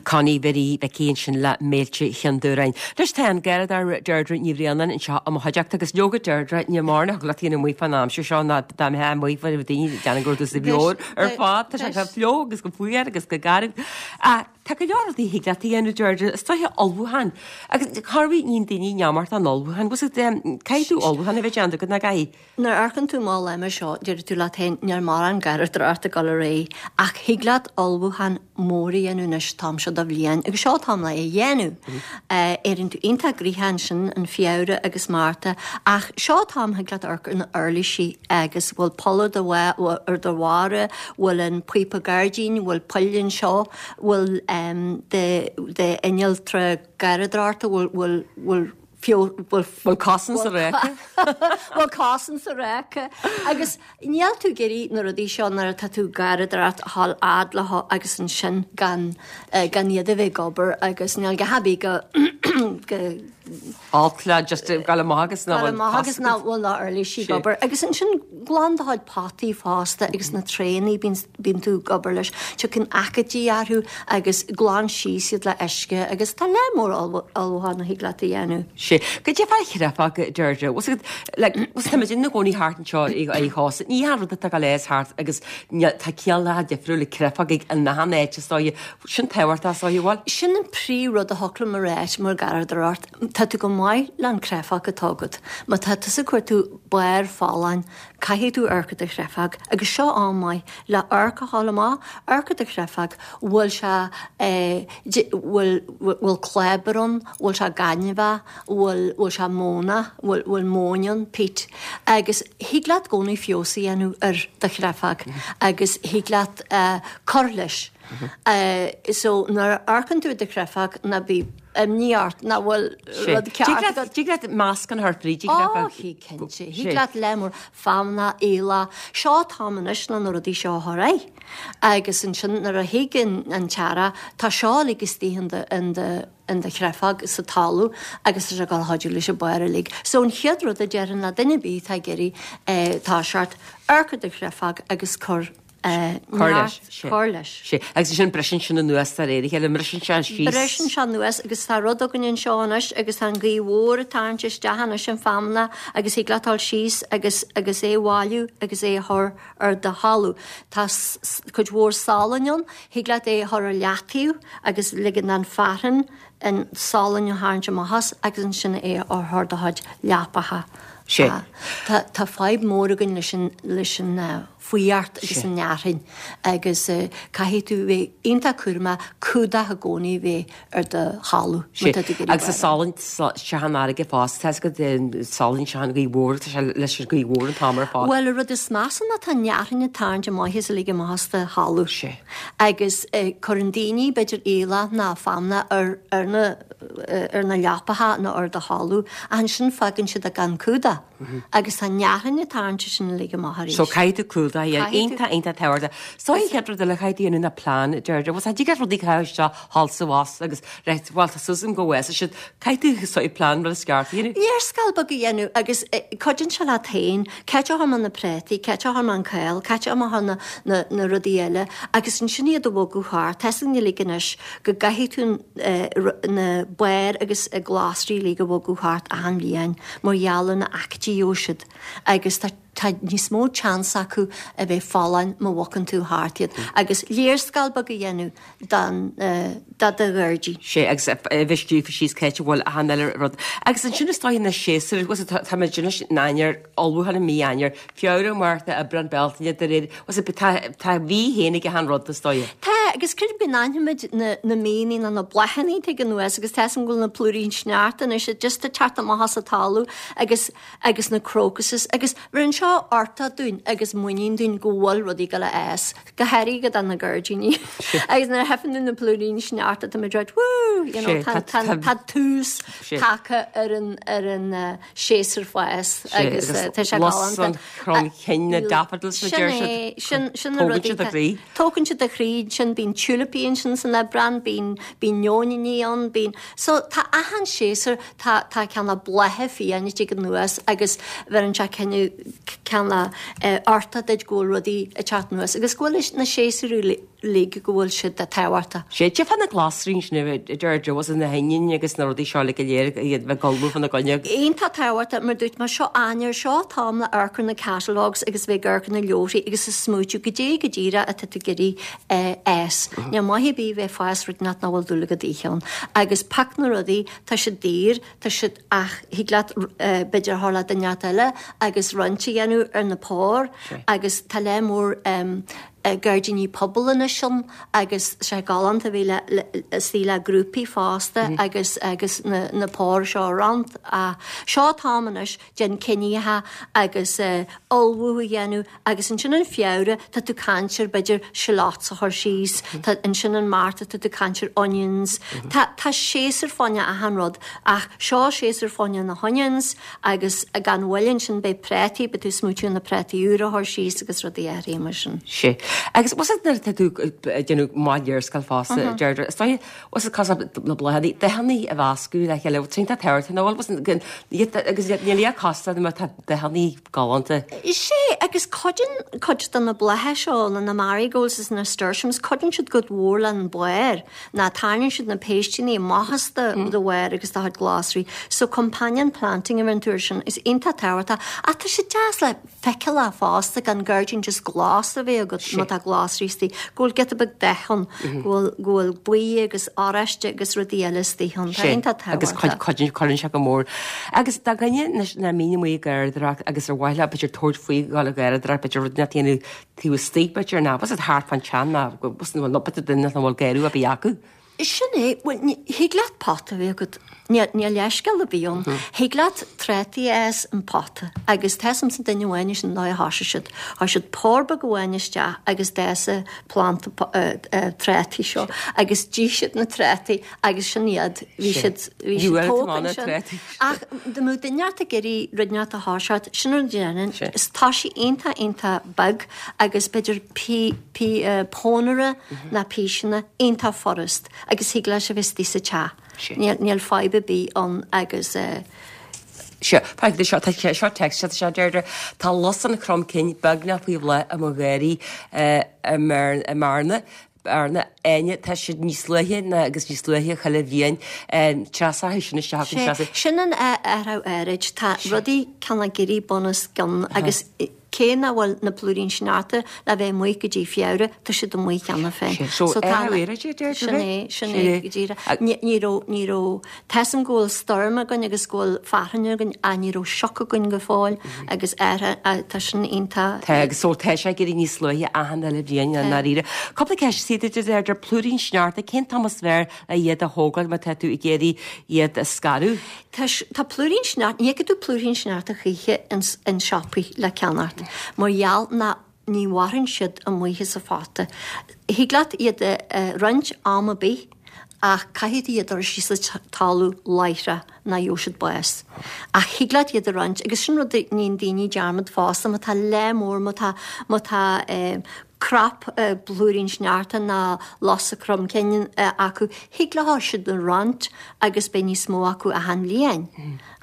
Connie Bhiddy Mhicí ansin le Méilte Chionn Dubhráin. Anois tá an Garradóir Deirdre Ní Bhraonáin anseo i mo chuideachta agus leoga Deirdre ní mórán a thig leat a dhéanamh amuigh fán aimsir seo ná dá mbeifeá amuigh bheadh daoine ag déanamh go raibh tú sa bheoir ar fad. Tá sé go fliuch agus go fuar agus go garbh. Tá go leor rudaí a thig leat a dhéanamh, Deirdre, is dóiche ullmhúchán. Agus chor ar bith níonn daoine neamart an ullmhúchán. Bhfuil 's agat, caithfidh tú ullmhúchán a bheith déanta agat, nach gcaithfidh? Nuair a amharcann tú amach an lá mar seo, déarfaidh tú leat féin, níl mórán garraíodóireacht ag dul ar aghaidh, ach thig leat ullmhúchán mór a dhéanamh anois, t-am seo de bhliain, agus seo an t-am le é a dhéanamh. Éiríonn tú iontach gnoitheach ansin in Feabhra agus Márta, ach seo an t-am thig leat amharc ar na uirlisí agus bhfuil poll ar do ar do bharra, bhfuil an píopa gairdín, bhfuil poill anseo, bhfuil d'innealtra garraíodóireachta, bhfuil, bhfuil, bhfuil bhfuil, bhfuil cosán sa ráca? bhfuil cosán sa ráca? Agus níl tú ag iarraidh na rudaí seo nuair atá tú ag garraíodóireacht a dhul fhad leo agus ansin gan, gan iad a bheith ag obair agus níl go haibí go, go, Olc le just gabháil amach agus nach bhfuil amach agus nach bhfuil na uirlisí ag obair. Agus ansin glan do chuid potaí fosta agus na traenaí bíonn tú ag obair leis. Tiocfaidh aicídí orthu agus glan síos iad le uisce agus tá lear mór ullmhúchán a thig leat a dhéanamh. Sé. Goidé fá chreafadh, Deirdre. Bhfuil 's agat, like, bhfuil 's táimid ina gcónaí thart anseo ar chósta. Ní hea rud atá ag dul thart agus tá cineálacha difriúla creafadh ag an achan áit is dóigh. Sin tábhachtach is dóigh, bhfuil? Sin an príomh rud a thiocfadh liom a ráit mar garraíodóireacht. Tá tú go maith le an créafóg atá agat. Má tá tusa ag cuartú barr folláin, caithfidh tú amharc ar do chréafóg agus seo am maith le amharc a fháil amach, amharc ar do chréafóg, bhfuil sé eh, bhfuil, bhfuil clábar ann, bhfuil sé gainmheach, bhfuil, bhfuil sé mónach, bhfuil, bhfuil móin ann, peat. Agus thig leat i gcónaí feabhas a dhéanamh ar do chréafóg agus thig leat eh, cur leis. So nuair a amharcann tú ar do chréafóg ná bí imní ort nach bhfuil rud ceart agat. Tig leat meascán a chur fríd an chréafóg. Ó, thig cinnte. Thig leat lear mór feamnach, aoileach. Seo an t-am anois le na rudaí seo a chur air. Agus ansin nuair a thig an t-earrach, tá seo uilig istigh in do, in do, in do chréafóg sa talamh agus tá sé ag dul a chuidiú leis an barr uilig. So an chéad rud a déarfainn le duine ar bith atá ag iarraidh toiseacht, amharc ar do chréafóg agus cur Cur leis. Cur leis. Sé. Agus ansin briseann sin anuas de réir a chéile, mbriseann sé síos. Briseann sé anuas agus tá rud againn anseo anois agus tá an ghaoth mhór ag tarraingt isteach anois an feamnach agus thig leat dul síos agus agus é a bhailiú agus é a chur ar do thalamh. Tá cuid mhór salainn ann, thig leat é a chur ar leataobh agus ligean don fearthainn an salann a tharraingt amach as agus ansin é a chur ar do chuid leapacha. Sé. Tá tá fadhb mhór againn leis an leis an fuireacht agus an fhearthainn agus caithfidh tú bheith iontach cúramach cumhdach i gcónaí a bheith ar do thalamh má tá tú ag iarraidh Agus an salann isteach an fharraige fosta, tá a fhios agat salann isteach an ghaoth mhór, tá sé leis an ghaoth mhór an t-am ar fad. Bhuel, an rud is measa ná tá an fhearthainn ag tarraingt amach is uilig amach as do thalamh. Sé. Agus cuireann daoine, b'fhéidir aoileach ná feamnach ar ar na ar na leapacha nó ar do thalamh ach ansin fágann siad é gan cumhdach. Agus tá an fhearthainn ag tarraingt sin uilig amach arís. So caithfidh tú cumhdach a dhéanamh. Iontach, iontach tábhachtach. So an chéad rud eile a chaithfidh tú a dhéanamh ná plean, Deirdre. Bhuel, tig leat rudaí a chaitheamh isteach thall 's abhus agus right, bhuel, tá suas agam go bhfásfaidh siad. Caithfidh tú sort of plean rud is ceart a dhéanamh. Léarscáil beag a dhéanamh agus cuidíonn sé leat féin. Cá háit a chuir mé na prátaí, cá háit a chuir mé an cál, cá háit a chuir mé na, na rudaí eile agus ansin iad a bhogadh thart. Tá a fhios againn uilig anois go gcaithfidh tú na bairr agus glasraí uilig a bhogadh thart achan bhliain. Mar gheall ar na aicídí a gheobhaidh siad agus tá tá níos mó chance acu a bheith folláin má bhogann tú thart iad agus léarscáil beag a dhéanamh don do do ghairdín. Sé agus a bheith scríofa síos cá háit a bhfuil achan uile rud. Agus ansin is dóigh na séasúir, bhfuil a fhios agat, tá muid anois in Eanáir, ullmhúchán i mí Eanáir, Feabhra, Márta, Aibreán, Bealtaine, de réir, bhfuil a fhios agat, tá tá mí féin ag achan rud is dóigh. Tá, agus creidim go n-aithnímid na na míonna nó na bláthanna ag teacht anuas agus tá a fhios agam go bhfuil na plúirín sneachta anois just ag teacht amach as an talamh agus agus na crocuses agus bheireann seo uchtach dúinn agus muinín dúinn go bhfuil rudaí ag dul a fhás, go háirithe do na gairdíní. Agus nuair a fheiceann tú na plúirín sneachta tá muid right woo, you know, tá tá tá tús tagtha ar an ar an séasúr fás agus tá sé galánta. Lus an chromchinn na daffodils a deir siad. Sin é, sin, sin na rudaí. Tógann siad do chroí. Tógann siad do chroí, sin bíonn tiúilipí ansin san Aibreán, bíonn, bíonn nóiníní ann, bíonn, so tá achan séasúr, tá, tá cineál blátha fiáin ag teacht anuas agus bheireann sé cinneadh, cineál uchtach duit go bhfuil rudaí ag teacht anuas agus go bhfuil na séasúir uilig go bhfuil siad tábhachtach. Sé, cad é fá na glasraí ansin a Deirdre, bhfuil a fhios agat na hoinniúin agus na rudaí seo uilig go léir iad bheith ag ullmhú fána gcoinne. Iontach tábhachtach, mar dúirt mé, seo Eanáir, seo an t-am le amharc ar na catalogues agus bheith ag amharc ar na leabharthaí agus ag smaoitiú goidé go díreach atá tú ag iarraidh fhás. Níl maith ar bith bheith ag fás rud nach bhfuil dúil agat a ithe ann. Agus pioc na rudaí, tá siad daor, tá siad ach thig leat b'fhéidir a chur le duine inteacht eile agus roinnt a dhéanamh ar na póir agus tá lear mór gairdíní pobail anois ann agus sé galánta a bheith le istigh le grúpaí fosta agus agus na na póir seo a roinnt. Seo an t-am anois déan cinntí agus ullmhú a dhéanamh Agus ansin in Feabhra tá tú caint ar b'fhéidir shallots a chur síos, tá ansin in Márta tá tú caint ar onions, tá tá séasúr fá choinne achan rud ach seo séasúr fá choinne na honions agus gan mhoill ansin beidh prátaí, beidh tú ag smaoitiú ar na prátaí úra a chur síos agus rudaí áirithe mar sin. Sé. Agus bhfuil a fhios agat nuair atá tú ag déanamh maith léarscáil fosta, Deirdre, is dóigh bhfuil a fhios agat cosúil le bláthanna, dathanna a mheascadh le chéile, tá sé tábhachtach nó bhfuil a fhios agat agus níl a costas má tá dathanna galánta. Sea, agus cuidíonn cuid de na blátha seo, na marigolds is na nasturtiums, cuidíonn siad go mór leis an bharr, ná tarraingíonn siad na péisteanna amach as do bharr agus do chuid glasraí. So companion planting a bheireann tú air sin, is iontach tábhachtach. Ach tá sé deas le feiceáil fosta gan gairdín just glas a bheith agat. má tá glasraí istigh, go bhfuil giota beag dath ann, go bhfuil, go bhfuil buí agus oráiste agus rudaí eile istigh ann. Tá iontach tábhachtach. Agus cuid, cuid, cuireann sé go mór. Agus do dhuine anois nach mbíonn amuigh ag garraíodóireacht agus ar mhaith leo b'fhéidir tabhairt faoi dhul ag garraíodóireacht, b'fhéidir rud inteacht a dhéanamh taobh istigh b'fhéidir, ná bhfuil thart fán teach ná go bhfuil nó b'fhéidir duine nach bhfuil garraí ar bith acu. Sin é, bhuel, ní, thig leat pota a bheith agat, níl, níl leithscéal ar bith ann. Thig leat trátaí a fhás in pota agus tá 'fhios a'msa duine amháin sin an dóigh a thosaigh siad. Chuir siad pár beag amháin isteach agus d'fhás an planda trátaí seo agus d'ith siad na trátaí agus sin iad, bhí siad, bhí siad tógtha ansin. Ach dá mbeadh duine ort ag iarraidh rud inteacht a thoiseacht, sin an rud a dhéanfainn, tá sé iontach, iontach beag agus b'fhéidir pí, pí, pónaire ná píseanna, iontach furast agus thig leis a bheith istigh sa teach. Níl, níl fadhb ar bith ann agus eh. Seo, tá seo, tá seo text, tá seo Deirdre, tá lus an chromchinn beagnach faoi bhláth i mo gharraí i mBearna, Bearna, Áine, tá siad níos luaithe ná agus níos luaithe chuile bhliain. Treasachadh sin isteach agus treasachadh. Sin an athrú aeráid. Tá rudaí cineál ag éirí bun os cionn agus cé nach bhfuil na plúirín sneachta le bheith amuigh go dtí Feabhra, tá siad amuigh cheana féin. So athrú aeráide, deir tú? Sin é, sin é go díreach. Ní raibh, ní raibh, tá 'fhios a'm go bhfuil stoirm againn agus go bhfuil fearthainn againn ach ní raibh sioc againn go fóill agus tá sin iontach. Tá agus so tá sé ag éirí níos luaithe achan uile bhliain i ndáiríre. Cúpla ceist sa duit a Deirdre, plúirín sneachta, cén t-am is fearr le iad a thógáil má tá tú ag iarraidh iad a scaradh? Tá tá plúirín sneachta, ní fheicfidh tú plúirín sneachta choíche ins an siopaí le ceannacht mar gheall ná ní mhaireann siad amuigh sa phota. Thig leat iad a roinnt am ar bith ach caithfidh tú iad a chur síos sa talamh láithreach ná gheobhaidh siad bás. Ach thig leat iad a roinnt agus sin rud a níonn daoine dearmad fosta má tá lear mór má tá má tá crop blúirín sneachta ná lus an chromchinn acu thig leo siad a roinnt agus beidh níos mó acu achan bhliain.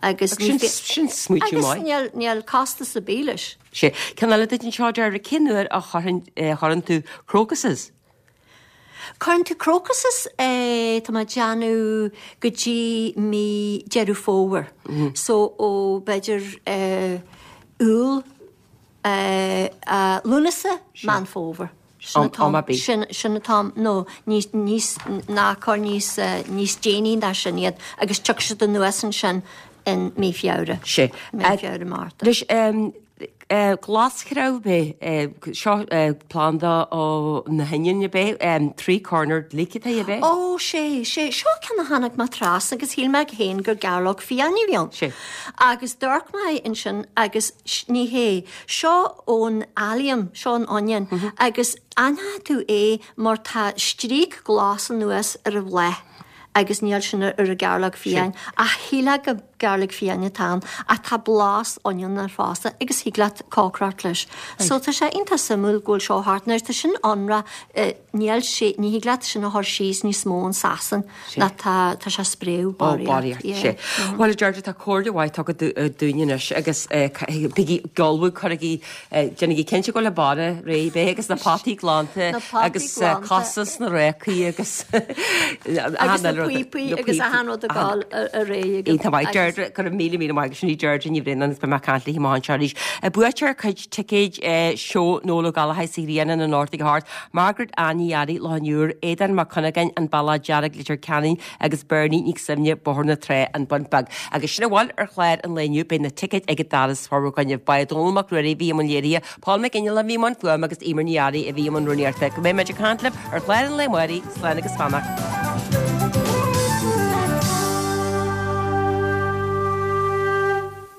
Agus sin smaoitiú maith. Agus níl costas ar bith leis. Sé. Ceann eile duit anseo, Deirdre, cén uair a chuireann tú crocuses? Cuireann tú crocuses, tá mé ag déanamh go dtí mí Deireadh Fómhair. So ó b'fhéidir Iúil, Lúnasa, Meán Fómhair. Sin an t-am, sin, sin an t-am, nó níos, níos, ná cuir níos, níos déanaí ná sin iad agus tiocfaidh siad anuas ansin in mí Feabhra. Sé. Mí Feabhra, Márta. Anois, glasghreamh ab é, seo planda ó na hoinniúin ab é, three-cornered leek atá ab é? Ó, sé, sé, seo ceann a tháinig mé trasna agus shíl mé féin gur gairleog fiáin a bhí ann. Sé. Agus d'amharc mé ansin agus ní hé. Seo ón allium, seo an onion, agus aithneoidh tú é mar tá stríoc glas anuas ar an bhláth agus níl sin ar an gairleog fiáin. Ach shílfeá gur gairleog fiáin atá ann ach tá blas onion air fosta agus thig leat cócaireacht leis. So tá sé iontach suimiúil go bhfuil seo thart. Now tá sin ionrach, níl sé, ní thig leat sin a chur síos níos mó in Sasain. Ná tá, tá sé spréadh, Ó, barraíocht. barraíocht, sé. Bhuel, a Deirdre, tá comhairle mhaith tugtha dúinn anois agus bígí ag ullmhú, cuirigí, déanaigí cinnte go bhfuil an barra réidh beidh agus na potaí glanta Na potaí agus glanta. cosa sna racaí agus Agus na píopaí agus achan rud ag dul ar aghaidh agat. Iontach maith. Deirdre, go raibh míle míle maith agat. Sin í Deirdre Ní Bhraonáin agus beidh mé ag caint léi amach anseo arís. Buaiteoir cuid ticéid seó Noel Ó Gallchóir sa Ghrianán anocht ag a hocht. Margaret Ann Ní Fhearraigh, Loch an Iúir, Aodán Mac Cuinneagáin, An Bealach Dearg, Leitir Ceanainn agus Bernie Nic Suibhne, Bóthar na Trá, An Bun Beag. Agus sin a bhfuil ar chlár an lae inniu, beidh na ticéid ag an doras formhór againne. Ba é Dónal Mac Ruairí a bhí i mbun léirithe, Paul McGinley a bhí i mbun fuaime agus Eimear Ní Fhearraigh a bhí i mbun rúnaíochta. Go mbeidh muid ag caint libh ar chlár an lae amárach, slán agus beannacht.